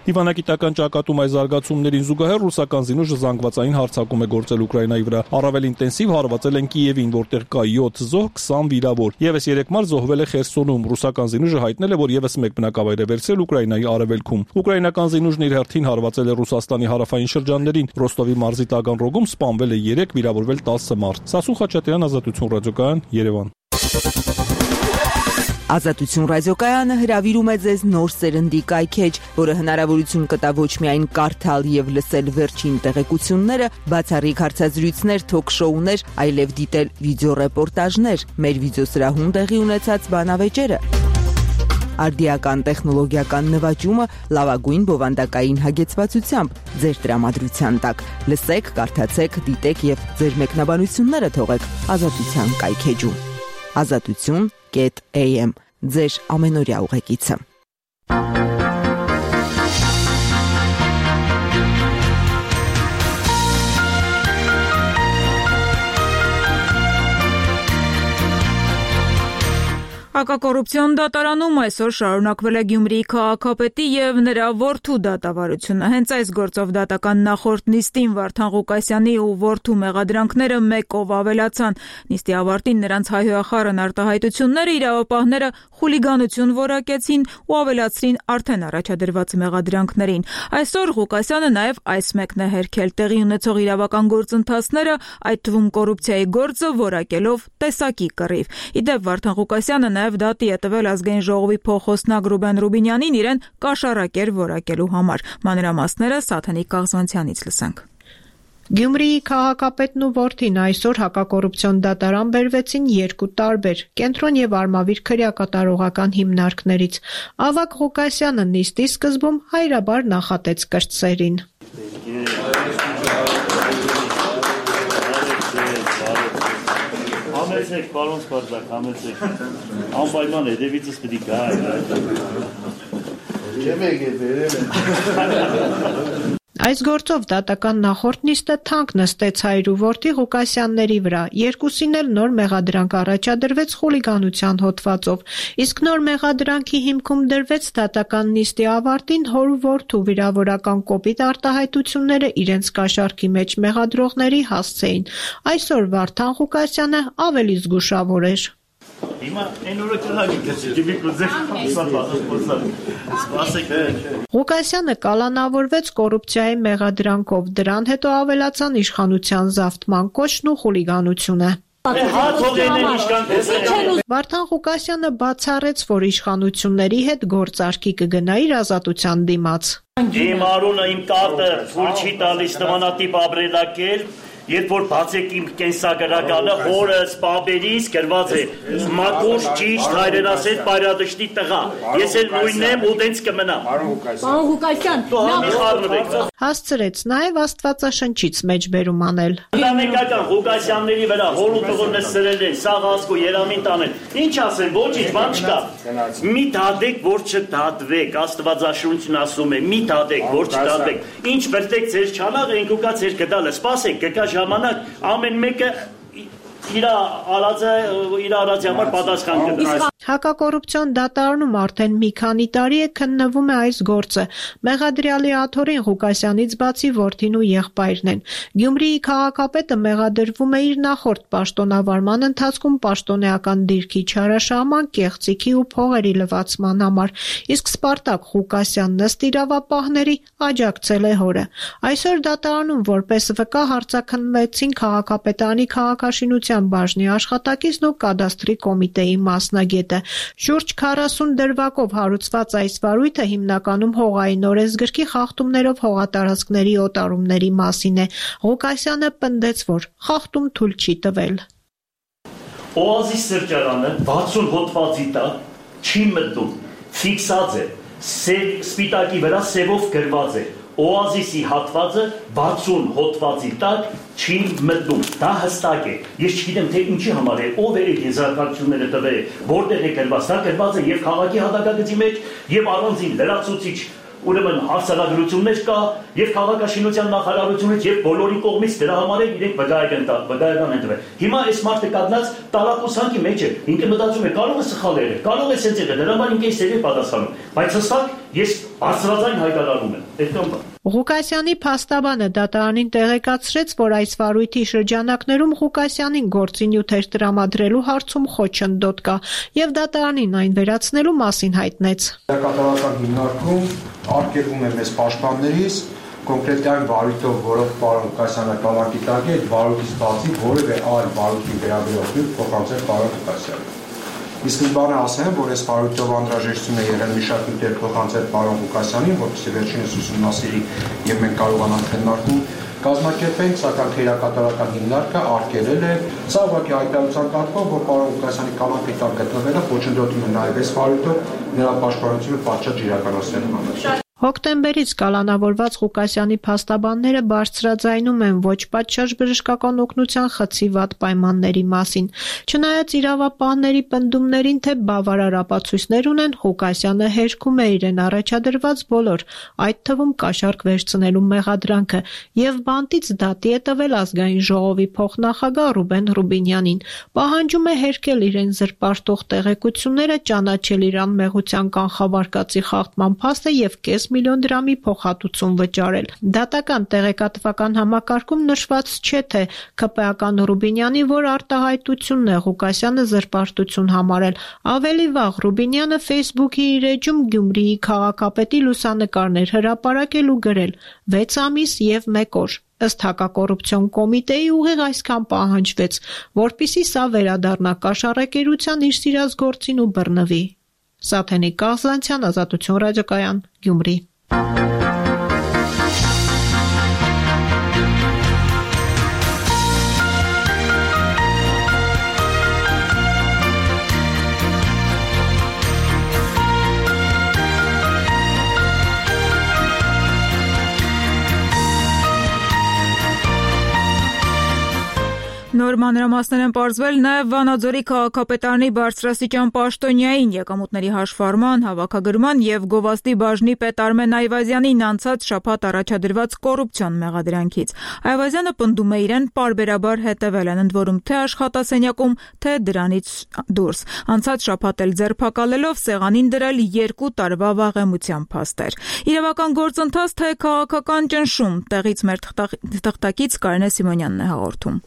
[SPEAKER 6] Դիվանագիտական ճակատում այս զարգացումներին զուգահեռ ռուսական զինուժը զանգվածային հարձակում է գործել Ուկրաինայի վրա։ Առավել ինտենսիվ հարվածել են Կիևին, որտեղ կա յոթ զոհ, քսան վիրավոր։ Եվս երեք մարդ զոհվել է Խերսոնում։ Ռուսական զինուժը հայտնել է, որ եւս մեկ բնակավայր է վերցրել Ուկրաինայի արևելքում։ Ուկրաինական զինուժն իր հերթին հարվածել է Ռուսաստանի հարավային շրջաններին։ Ռոստովի մարզի Տագանրոգում սպանվել է երեք, վիրավորվել տասը մարդ։ Սասուն Խաչատրյան, Ազատություն ռադիոկայան, Երևան։
[SPEAKER 16] Ազատություն ռադիոկայանը հրավիրում է ձեզ նոր սերնդի կայքեջ, որը հնարավորություն կտա ոչ միայն կարդալ եւ լսել վերջին տեղեկությունները, բացառիկ հարցազրույցներ, թոք-շոուներ, այլև դիտել վիդեոռեպորտաժներ, մեր վիդեոսրահում տեղի ունեցած բանավեճերը։ Արդիական տեխնոլոգիական նվաճումը լավագույն բովանդակային հագեցվածությամբ ձեր տրամադրության տակ։ Լսեք, կարդացեք, դիտեք եւ ձեր մեկնաբանությունները թողեք Ազատության կայքեջում։ Ազատություն am ձեր ամենօրյա ուղեկիցը։
[SPEAKER 1] Հակակոռուպցիոն դատարանում այսօր շարունակվել է Գյումրիի քաղաքապետի եւ նրա որդու դատավարությունը։ Հենց այս գործով դատական նախորդ նիստին Վարդան Ղուկասյանի ու որդու մեղադրանքները մեկով ավելացան։ Նիստի ավարտին նրանց հայհոյախառն արտահայտությունները իրավապահները խուլիգանություն որակեցին ու ավելացրին արդեն առաջադրված մեղադրանքներին։ Այսօր Ղուկասյանը նաեւ այս մեկն է հերքել տեղի ունեցող իրավական գործընթացները, այդ թվում կոռուպցիայի գործը որակելով տեսակի կռիվ։ Իդեպ Վարդան Ղուկասյանը նաեւ նաև դատի է տվել ազգային ժողովի փոխոստնակ Ռուբեն Ռուբինյանին իրեն կաշառակեր որակելու համար։ Մանրամասները Սաթենիկ Կաղզանցյանից լսենք։
[SPEAKER 8] Գյումրիի քաղաքապետն ու որդին այսօր հակակոռուպցիոն դատարան բերվեցին երկու տարբեր կենտրոն եւ Արմավիր քրեակատարողական հիմնարկներից։ Ավագ Ղուկասյանը նիստի սկզբում հայրաբար նախատեց կրտսերին։
[SPEAKER 11] Համեցեք, պարոն Սպարտակ, համեցեք։ Անպայման հետևիցս պիտի գա։ Չեմ եկել բերել։
[SPEAKER 8] Այս գործով դատական նախորդ նիստը թանկ նստեց հայր ու որդի Ղուկասյանների վրա, երկուսին էլ նոր մեղադրանք առաջադրվեց խուլիգանության հոդվածով, իսկ նոր մեղադրանքի հիմքում դրվեց դատական նիստի ավարտին հոր ու որդու վիրավորական կոպիտ արտահայտությունները իրենց կաշառքի մեջ մեղադրողների հասցեին։ Այսօր Վարդան Ղուկասյանը ավելի զգուշավոր էր։
[SPEAKER 11] Հիմա այն օրը կհագի գցի կուզեք սպասեք։
[SPEAKER 8] Ղուկասյանը կալանավորվեց կոռուպցիայի մեղադրանքով, դրան հետո ավելացան իշխանության զավթման կոչն ու խուլիգանությունը։ Վարդան Ղուկասյանը բացառեց, որ իշխանությունների հետ գործարքի կգնա իր ազատության դիմաց։
[SPEAKER 11] Իմ արունը, իմ տատը թույլ չի տալիս նմանատիպ ապրելակերպ, երբ որ բացեք իմ կենսագրականը, հորը սպաբերից գրված է մաքուր ճիշտ հայրենասեր պայրադշտի տղա։ Ես էլ նույնն եմ ու տենց կմնամ։
[SPEAKER 8] Պարոն Ղուկասյան, հասցրեց նաև Աստվածաշնչից մեջբերում անել։
[SPEAKER 11] Ընտանեկական Ղուկասյանների վրա հոր ու տղորը սրել են, սաղ ասկու երամին տանել։ Ինչ ասեն, ոչինչ բան չկա։ Մի դատեք, որ չդատվեք, Աստվածաշունչն ասում է, մի դատեք, որ չդատվեք։ Ինչ վրտեք ձեր չանաղը, ենք ուկա ձեր կդալը, սպասեք, կկա ժամանակ ամեն մեկը իր արածը իր արածի համար պատասխան կտա։
[SPEAKER 8] Հակակոռուպցիոն դատարանում արդեն մի քանի տարի է քննվում է այս գործը։ Մեղադրյալի աթոռին Ղուկասյանից բացի որդին ու եղբայրն են։ Գյումրիի քաղաքապետը մեղադրվում է իր նախորդ պաշտոնավարման ընթացքում պաշտոնեական դիրքի չարաշահման, կեղծիքի ու փողերի լվացման համար, իսկ Սպարտակ Ղուկասյանն ըստ իրավապահների աջակցել է հորը։ Այսօր դատարանում որպես վկա հարցաքննվեցին քաղաքապետարանի քաղաքաշինության բաժնի աշխատակիցն ու կադաստրի կոմիտեի մասնագետը։ Շուրջ քառասուն դրվագով հարուցված այս վարույթը հիմնականում հողային օրենսգրքի խախտումներով հողատարածքների օտարումների մասին է։ Ղուկասյանը պնդեց, որ խախտում թույլ չի տվել։
[SPEAKER 11] Օազիս սրճարանը վաթսուն հոդվածի տակ չի մտնում, ֆիքսած է, սպիտակի վրա սևով գրված է։ Օազիսի հատվածը վաթսուն հոդվածի տակ չի մտնում, դա հստակ է։ Ես չգիտեմ, թե ինչի համար է, ով է այդ եզրակացությունները տվել, որտեղ է գրված, դա գրված է եւ քաղաքի հատակագծի մեջ, եւ առանձին լրացուցիչ ուրեմն հարցարագրություններ կա եւ քաղաքաշինության նախարարությունից եւ բոլորի կողմից դրա համար է իրենք վկայական վկայական են տվել։ Հիմա այս մարդը կանգնած տարակուսանքի մեջ է, ինքը մտածում է կարող է սխալ եղել, կարող է սենց եղել, դրա համար ինքը էստեղ է պատասխանում, բայց հստակ ես բարձրաձայն հայտարարում եմ, այդքան բան։
[SPEAKER 8] Ղուկասյանի փաստաբանը դատարանին տեղեկացրեց, որ այս վարույթի շրջանակներում Ղուկասյանին գործի նյութեր տրամադրելու հարցում խոչընդոտ կա եւ դատարանին այն վերացնելու մասին հայտնեց։
[SPEAKER 12] Կատարական հիմնարկում արգելվում է մեզ պաշտպաններից կոնկրետ այն վարույթով, որով պարոն Ղուկասյանը կալանքի տակ է, այդ վարույթից բացի որևէ այլ վարույթի վերաբերյալ փոխանցել պարոն Ղուկասյանին։ Իսկ բանը ասեմ, որ այս վարույթով անհրաժեշտություն է եղել մի շարք նյութեր փոխանցել պարոն Ղուկասյանին, որպեսզի վերջինս ուսումնասիրի եւ մենք կարողանանք քննարկում կազմակերպենք, սակայն քերակատարական հիմնարկը արգելել է սա ուղղակի հայտարարության կարգով, որ պարոն Ղուկասյանի կալանքի տակ գտնվելը խոչընդոտում է նաեւ այս վարույթով նրա պաշտպանությունը պատշաճ իրականացնելու համար։
[SPEAKER 8] Հոկտեմբերից կալանավորված Ղուկասյանի փաստաբանները բարձրաձայնում են ոչ պատշաճ բժշկական օգնության խցի վատ պայմանների մասին։ Չնայած իրավապահների պնդումներին, թե բավարար ապացույցներ ունեն, Ղուկասյանը հերքում է իրեն առաջադրված բոլոր, այդ թվում կաշառք վերցնելու մեղադրանքը եւ բանտից դատի է տվել ազգային ժողովի փոխնախագահ Ռուբեն Ռուբինյանին։ Պահանջում է հերկել իրեն զրպարտող տեղեկությունները, ճանաչել իր անմեղության կանխավարկածի խախտման փաստը եւ կես միլիոն դրամի փոխհատուցում վճարել։ Դատական տեղեկատվական համակարգում նշված չէ, թե ՔՊ-ական Ռուբինյանի որ արտահայտությունն է Ղուկասյանը զրպարտություն համարել։ Ավելի վաղ Ռուբինյանը Facebook-ի իր էջում Գյումրիի քաղաքապետի լուսանկարներ հրապարակել ու գրել. վեց ամիս եւ մեկ օր։ Ըստ հակակոռուպցիոն կոմիտեի ուղիղ այսքան պահանջվեց, որպիսի սա վերադառնա կաշառակերության իր սիրած գործին ու բռնվի։ Սաթենիկ Կաղզանցյան, Ազատություն ռադիոկայան, Գյումրի։
[SPEAKER 1] Նոր մանրամասներ են պարզվել նաև Վանաձորի քաղաքապետարանի բարձրաստիճան պաշտոնյային եկամուտների հաշվառման, հավաքագրման և գովազդի բաժնի պետ Արմեն Այվազյանին անցած շաբաթ առաջադրված կոռուպցիոն մեղադրանքից։ Այվազյանը պնդում է իրեն պարբերաբար հետևել են, ընդ որում թե աշխատասենյակում, թե դրանից դուրս։ Անցած շաբաթ էլ ձերբակալելով սեղանին դրել երկու տարվա վաղեմության փաստեր։ Իրավական գործընթաց, թե քաղաքական ճնշում, տեղից մեր թղթակից Կարինե Սիմոնյանն է հաղորդում։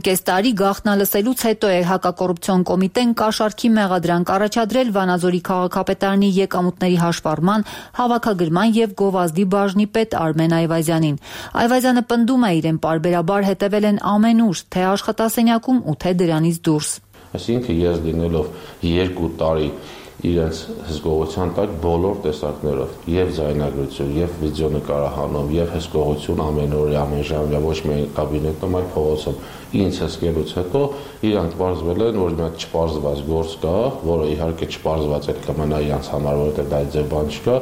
[SPEAKER 2] Կես տարի գաղտնալսելուց հետո է հակակոռուպցիոն կոմիտեն կաշառքի մեղադրանք առաջադրել Վանաձորի քաղաքապետարանի եկամուտների հաշվառման, հավաքագրման և գովազդի բաժնի պետ Արմեն Այվազյանին։ Այվազյանը պնդում է իրեն պարբերաբար հետևել են ամենուր, թե աշխատասենյակում ու թե դրանից դուրս։
[SPEAKER 13] Այսինքն ես լինելով երկու տարի իրենց հսկողության տակ բոլոր տեսակներով, եւ ձայնագրություն, եւ վիդեոնկարահանում, եւ հսկողություն ամենօրյա, ամենժամյա, ոչ միայն կաբինետում, այլ փողոցում ինձ հսկելուց հետո իրանք պարզվել են, որ մի հատ չպարզված գործ կա, որը իհարկե չպարզված էլ կմնա իրանց համար, որովհետեւ դա ձեր բան չկա։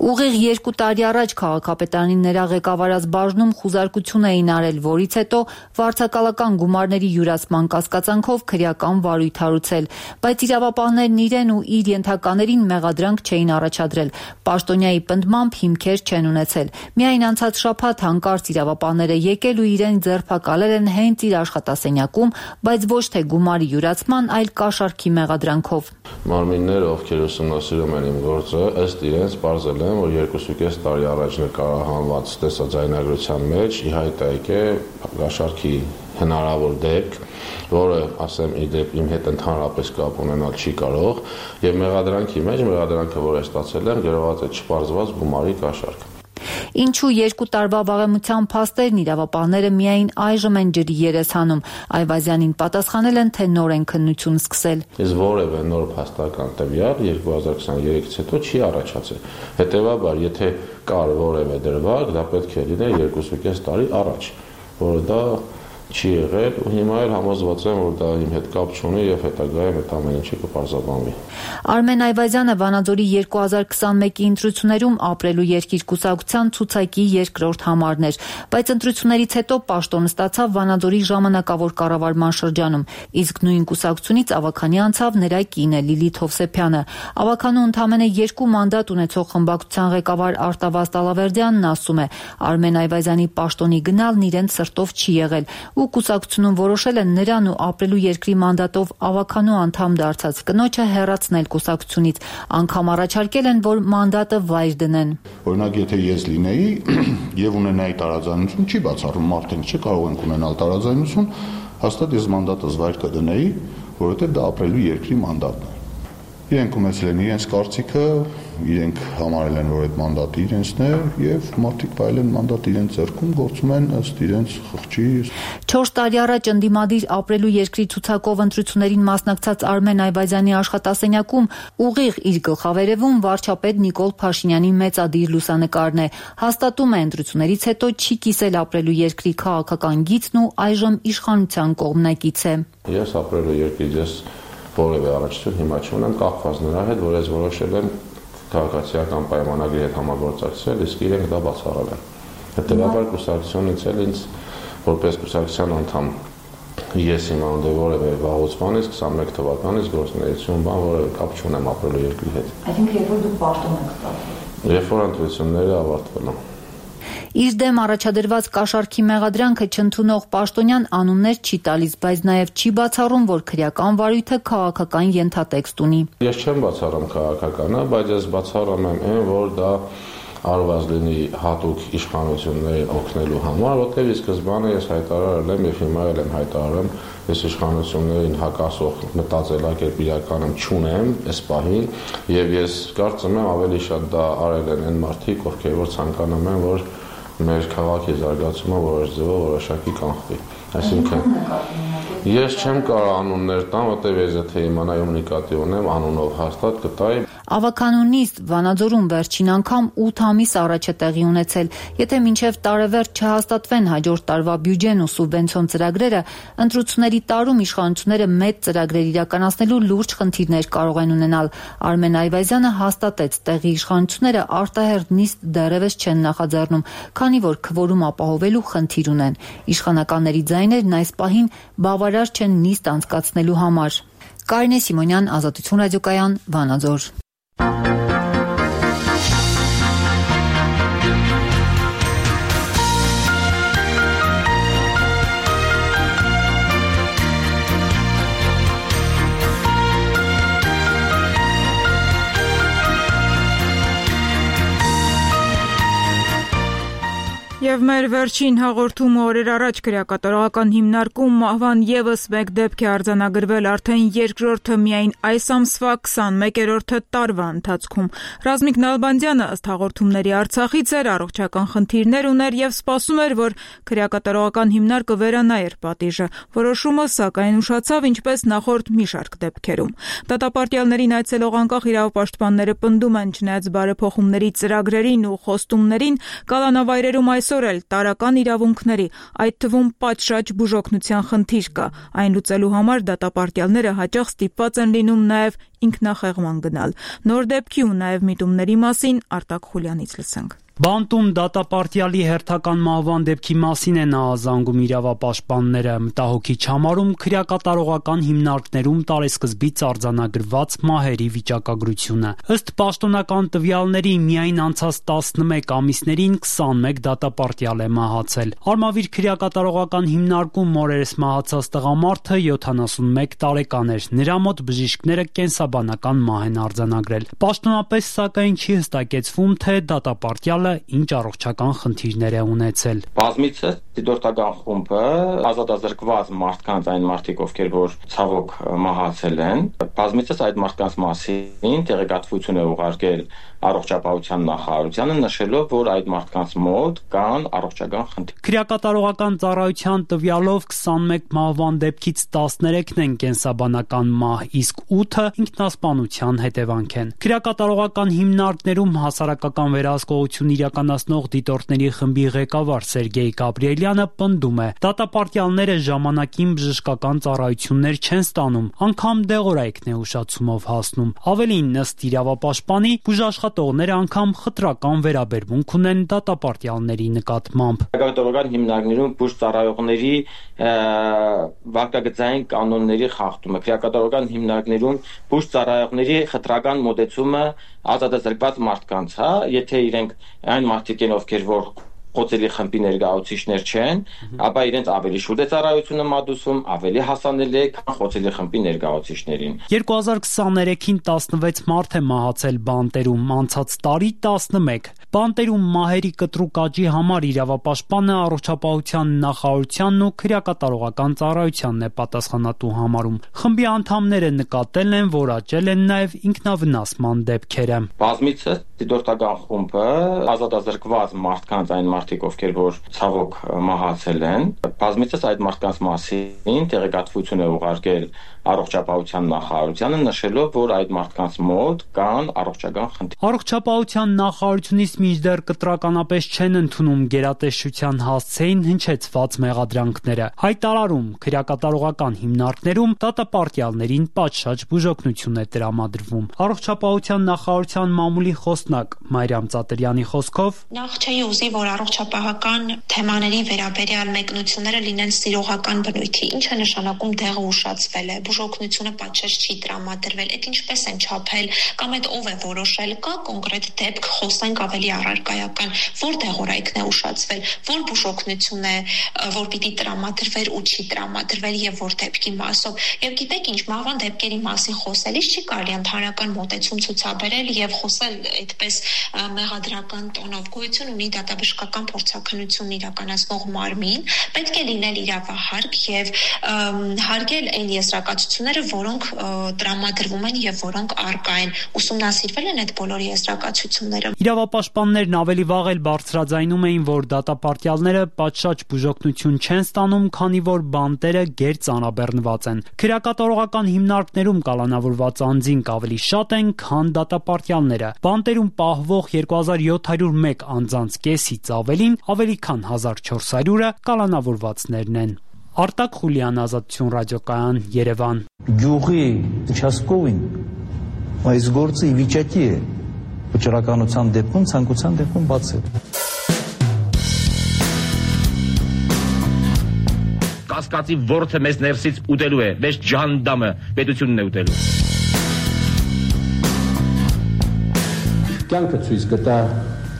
[SPEAKER 2] Ուղիղ երկու տարի առաջ քաղաքապետարանի նրա ղեկավարած բաժնում խուզարկություն էին արել, որից հետո վարձակալական գումարների յուրացման կասկածանքով քրեական վարույթ հարուցել, բայց իրավապահներն իրեն ու իր ենթականերին մեղադրանք չէին առաջադրել։ Պաշտոնյայի պնդմամբ հիմքեր չեն ունեցել։ Միայն անցած շաբաթ հանկարծ իրավապահները եկել ու իրեն ձերբակալել են հենց իր աշխատասենյակում, բայց ոչ թե գումարի յուրացման, այլ կաշառքի մեղադրանքով։
[SPEAKER 13] Մարմինները, ովքեր ուսումնասիրում են իմ գործը, ըստ իրենց պարզել են, որ երկուսուկես տարի առաջ նկարահանված տեսաձայնագրության մեջ ի հայտ է եկել կաշառքի հնարավոր դեպք, որը, ասեմ, իդեպ իմ հետ ընդհանրապես կապ ունենալ չի կարող, եւ մեղադրանքի մեջ մեղադրանքը, որ է ստացել եմ, գրված է չպարզված գումարի կաշառք։
[SPEAKER 2] Ինչու երկու տարվա վաղեմության փաստերն իրավապահները միայն այժմ են ջրի երես հանում։ Այվազյանին պատասխանել են, թե նոր են քննություն սկսել։
[SPEAKER 13] Ես որևէ նոր փաստական տվյալ երկու հազար քսաներեքից հետո չի առաջացել։ Հետևաբար, եթե կար որևէ դրվագ, դա պետք է լիներ երկուսուկես տարի առաջ, որը դա չի եղել ու հիմա էլ համոզված եմ, որ դա իմ հետ կապ չունի եւ հետագայում այդ ամեն ինչը կպարզաբանվի։
[SPEAKER 2] Արմեն Այվազյանը Վանաձորի երկու հազար քսանմեկի ընտրություններում ապրելու երկիր կուսակցության ցուցակի երկրորդ համարն էր, բայց ընտրություններից հետո պաշտոն ստացավ Վանաձորի ժամանակավոր կառավարման շրջանում, իսկ նույն կուսակցությունից ավագանի անցավ նրա կինը Լիլիթ Հովսեփյանը։ Ավագանու ընդամենը երկու մանդատ ունեցող խմբակցության ղեկավար Արտավազ Տալավերդյանն ասում է, Արմեն Այվազյանի պաշտոնի գնալն իրեն սրտով չի եղել ու կուսակցությունում որոշել են նրան ու ապրելու երկրի մանդատով ավականու անդամ դարձած կնոջը հեռացնել կուսակցությունից, անգամ առաջարկել են, որ մանդատը վայր դնեն։
[SPEAKER 14] Օրինակ, եթե ես լինեի եւ ունենայի տարաձայնություն, չի բացառում մարդենք չի կարող են ունենալ տարաձայնություն, հաստատ ես մանդատս վայր կդնեի, որովհետեւ դա ապրելու երկրի մանդատն է։ Իրենք ունեցել են իրենց կարծիքը, իրենք համարել են, որ այդ մանդատը իրենցն է եւ մարդիկ վայել են մանդատը իրենց ձեռքում, գործում են ըստ իրենց խղճի։
[SPEAKER 2] չորս տարի առաջ ընդդիմադիր ապրելու երկրի ցուցակով ընտրություններին մասնակցած Արմեն Այվազյանի աշխատասենյակում ուղիղ իր գլխավերևում վարչապետ Նիկոլ Փաշինյանի մեծադիր լուսանկարն է։ Հաստատում է ընտրություններից հետո չի կիսել ապրելու երկրի քաղաքական գիծն ու այժմ իշխանության կողմնակից է։
[SPEAKER 13] Ես ապրելու երկրից ես որևէ առաջություն հիմա չունեմ, կախված նրա հետ, որ ես որոշել եմ քաղաքացիական պայմանագրի հետ համագործակցել, իսկ իրենք դա բացառել են։ Հետևաբար կուսակցությունից էլ ինձ որպես կուսակցության անդամ ես հիմա ունեմ որևէ վաղուց բանից քսանմեկ թվականից գործունեություն բան որևէ կապ չունեմ ապրելու երկրի հետ։
[SPEAKER 2] Այսինքն երբ որ դուք պաշտոն եք ստացել։
[SPEAKER 13] Երբ որ ընտրությունները ավարտվել են։
[SPEAKER 2] Իր դեմ առաջադրված կաշառքի մեղադրանքը չընդունող պաշտոնյան անուններ չի տալիս, բայց նաև չի բացառում, որ քրեական վարույթը քաղաքական ենթատեքստ ունի։
[SPEAKER 13] Ես չեմ բացառում քաղաքականը, բայց ես բացառում եմ այն, որ դա արված լինի հատուկ իշխանություններին օգնելու համար, որտեղ ի սկզբանե ես հայտարարել եմ եւ հիմա էլ եմ հայտարարում, ես իշխանություններին հակասող մտածելակերպ իրականում չունեմ այս պահին եւ ես կարծում եմ ավելի շատ դա արել են այն մարդիկ, ովքեր որ ցանկանում են, որ մեր քաղաքի զարգացումը որոշ ձևով որոշակի կանխվի։ Այսինքն ես չեմ կարող անուններ տամ, որտեղ ես եթե իմանայում նկատի ունեմ, անունով հաստատ կտայի։
[SPEAKER 2] Ավականունիստ Վանաձորում վերջին անգամ ութ ամիս առաջ է տեղի ունեցել։ Եթե մինչև տարեվերջ չհաստատվեն հաջորդ տարվա բյուջեն ու սուբվենցիոն ծրագրերը, ընտրությունների տարում իշխանությունները մեծ ծրագրեր իրականացնելու լուրջ խնդիրներ կարող են ունենալ։ Արմեն Այվազյանը հաստատեց, տեղի իշխանությունները արտահերթ նիստ դեռևս չեն նախաձեռնում, քանի որ քվորում ապահովելու խնդիր ունեն։ Իշխանականների ձայներն այս պահին բավարար չեն նիստ անցկացնելու համար։ Կարինե Սիմոնյան, Ազատություն ռադիոկայան, Վանաձոր։
[SPEAKER 1] Եվ մեր վերջին հաղորդումը օրեր առաջ քրեակատարողական հիմնարկում մահվան ևս մեկ դեպք է արձանագրվել արդեն երկրորդը միայն այս ամսվա քսանմեկերորդ տարվա ընթացքում։ Ռազմիկ Նալբանդյանը ըստ հաղորդումների Արցախից էր, առողջական խնդիրներ ուներ եւ սպասում էր, որ քրեակատարողական հիմնարկը վերանայեր պատիժը։ Որոշումը սակայն ուշացավ, ինչպես նախորդ մի շարք դեպքերում։ Դատապարտյալներին այցելող անկախ իրավապաշտպանները պնդում են, չնայած բարեփոխումների ծրագրերին ու խոստումներին, կալանավայրերում այս էլ տարական իրավունքների, այդ թվում պատշաճ բուժօգնության խնդիր կա։ Այն լուծելու համար դատապարտյալները հաճախ ստիպված են լինում նաև ինքնախեղման գնալ։ Նոր դեպքի ու նաև միտումների մասին Արտակ Խուլյանից լսենք։
[SPEAKER 9] Բանտում դատապարտյալի հերթական մահվան դեպքի մասին է նա զանգում իրավապաշտպանները, մտահոգիչ համարում քրեակատարողական հիմնարկներում տարեսկզբից արձանագրված մահերի վիճակագրությունը։ Ըստ պաշտոնական տվյալների միայն անցած տասնմեկ ամիսներին քսանմեկ դատապարտյալ է մահացել։ Արմավիր քրեակատարողական հիմնարկում օրերս մահացած տղամարդը յոթանասունմեկ տարեկան էր։ Նրա մոտ բժիշկները կենսաբանական մահ են արձանագրել։ Պաշտոնապես սակայն չի հստակեցվում, թե դատապարտյալը ինչ առողջական խնդիրներ է ունեցել։
[SPEAKER 15] Բազմիցս դիտորդական խումբը ազատազրկված մարդկանց, այն մարդիկ, ովքեր որ ցավոք մահացել են, բազմիցս այդ մարդկանց մասին տեղեկատվություն է ուղարկել առողջապահության նախարարությանը, նշելով, որ այդ մարդկանց մոտ կան առողջական խնդիրներ։
[SPEAKER 9] Քրեակատարողական ծառայության տվյալով քսանմեկ մահվան դեպքից տասներեքն են կենսաբանական մահ, իսկ ութը ինքնասպանության հետևանք են։ Քրեակատարողական հիմնարկներում հասարակական վերահսկողություն իրականացնող դիտորդների խմբի ղեկավար Սերգեյ Գաբրիելյանը պնդում է, դատապարտյալները ժամանակին բժշկական ծառայություններ չեն ստանում, անգամ դեղորայքն է ուշացումով հասնում։ Ավելին, ըստ իրավապաշտպանի, բուժաշխատողները անգամ խտրական վերաբերմունք ունեն դատապարտյալների նկատմամբ։
[SPEAKER 15] Քրեակատարողական հիմնարկներում բուժ ծառայողների վարկագծային կանոնների խախտումը, քրեակատարողական հիմնարկներում բուժ ծառայողների խտրական մոտեցումը ազատազրկված մարդկանց, հա, եթե իրենք այն մարդիկ են, ովքեր որ խոցելի խմբի ներկայացուցիչներ չեն, ապա իրենց ավելի շուտ է ծառայությունը մատուցում, ավելի հասանելի է, քան խոցելի խմբի ներկայացուցիչներին։
[SPEAKER 9] երկու հազար քսաներեքին տասնվեց մարդ է մահացել Բանտերում, անցած տարի տասնմեկ։ Բանտերում մահերի կտրուկ աճի համար իրավապաշտպանը առողջապահության նախարարությանն ու քրեակատարողական ծառայությանն է պատասխանատու համարում։ Խմբի անդամները նկատել են, որ աճել են նաև ինքնավնասման դեպքերը։
[SPEAKER 15] Բազմիցս դիտորդական խումբը ազատազրկված մարդկանց, այն մարդիկ, ովքեր որ ցավոք մահացել են, բազմիցս այդ մարդկանց մասին տեղեկատվություն է ուղարկել առողջապահության նախարարությանը, նշելով, որ այդ մարդկանց մոտ կան առողջական խնդիրներ։
[SPEAKER 9] Առողջապահության նախարարությունից մինչդեռ կտրականապես չեն ընդունում գերատեսչության հասցեին հնչեցված մեղադրանքները։ Հայտարարում քրեակատարողական հիմնարկներում դատապարտյալներին պատշաճ բուժօգնություն է տրամադրվում։ Առողջապահության նախարարության մամուլի խոսնակ Մարիամ Ծատրյանի խոսքով
[SPEAKER 17] նախ չէի ուզի, որ առողջապահական թեմաների վերաբերյալ մեկնությունները լինեն սիրողական բնույթի, ինչը նշանակում դեղը ուշացվել է, բուժօգնությունը պատշաճ չի տրամադրվել, այդ ինչպես են չափել կամ այդ ով է որոշել, կա կոնկրետ դեպք, խոսենք ավելի առարկայական, որ դեղորայքն է ուշացվել, որ բուժօգնություն է, որ պիտի տրամադրվեր ու չի տրամադրվել եւ որ դեպքի մասով։ Եվ գիտեք ինչ, մահվան դեպքերի մասին խոսելիս չի կարելի ընդհանրական մոտեցում ցուցաբերել եւ խոսել այդպես մեղադրական տոնով։ Գոյություն ունի դատաբժշկական փորձաքննություն իրականացնող մարմին, պետք է լինել իրավահարկ եւ հարգել այն եզրակացությունները, եզրակացությունները, որոնք տրամադրվում են եւ որոնք առկա են։ Ուսումնասիրվել են այդ բոլոր եզրակացությունները։
[SPEAKER 9] Իրավապաշտպաններն ավելի վաղ էլ բարձրաձայնում էին, որ դատապարտյալները պատշաճ բուժօգնություն չեն ստանում, քանի որ բանտերը գերծանրաբեռնված են։ Քրեակատարողական հիմնարկներում կալանավորված անձինք ավելի շատ են, քան դատապարտյալները։ Բանտերում պահվող երկու հազար յոթ հարյուր մեկ անձանց կեսից ավելին, ավելի քան հազար չորս հարյուրը կալանավորվածներն են։ Արտակ Խուլյան, Ազատություն ռադիոկայան, Երևան։
[SPEAKER 3] Գյուղի участковին այս գործը ի վիճակի է վճռականության դեպքում, ցանկության դեպքում բացել։
[SPEAKER 18] Կասկածի ворթը մեզ ներսից ուտելու է, մեզ ջանդամը պետությունն է ուտելու։
[SPEAKER 19] Կյանքը ցույց կտա,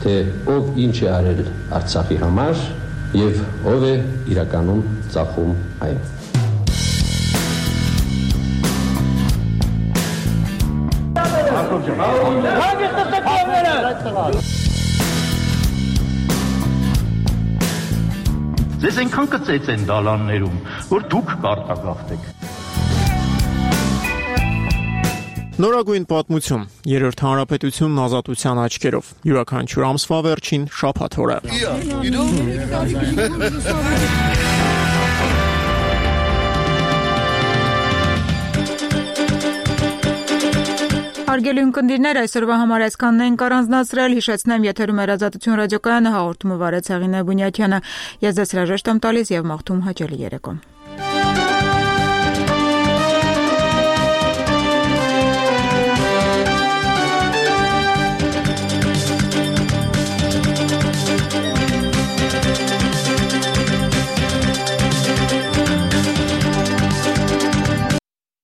[SPEAKER 19] թե ով ինչ է արել Արցախի համար եւ ով է իրականում ծախում այն։
[SPEAKER 3] Ձեզ այնքան կծեց են դալաններում, որ դուք կարտագաղթեք։
[SPEAKER 4] Նորագույն պատմություն։ Երրորդ հանրապետությունն ազատության աչքերով։ Յուրաքանչյուր ամսվա վերջին շաբաթ օրը։
[SPEAKER 1] Հարգելի ունկնդիրներ, այսօրվա համար այսքանն ենք առանձնացրել, հիշեցնեմ, եթերում էր Ազատություն ռադիոկայանը, հաղորդումը վարեց Հեղինե Բունյաթյանը։ Ես ձեզ հրաժեշտ եմ տալիս եւ մաղթում հաճելի երեկո։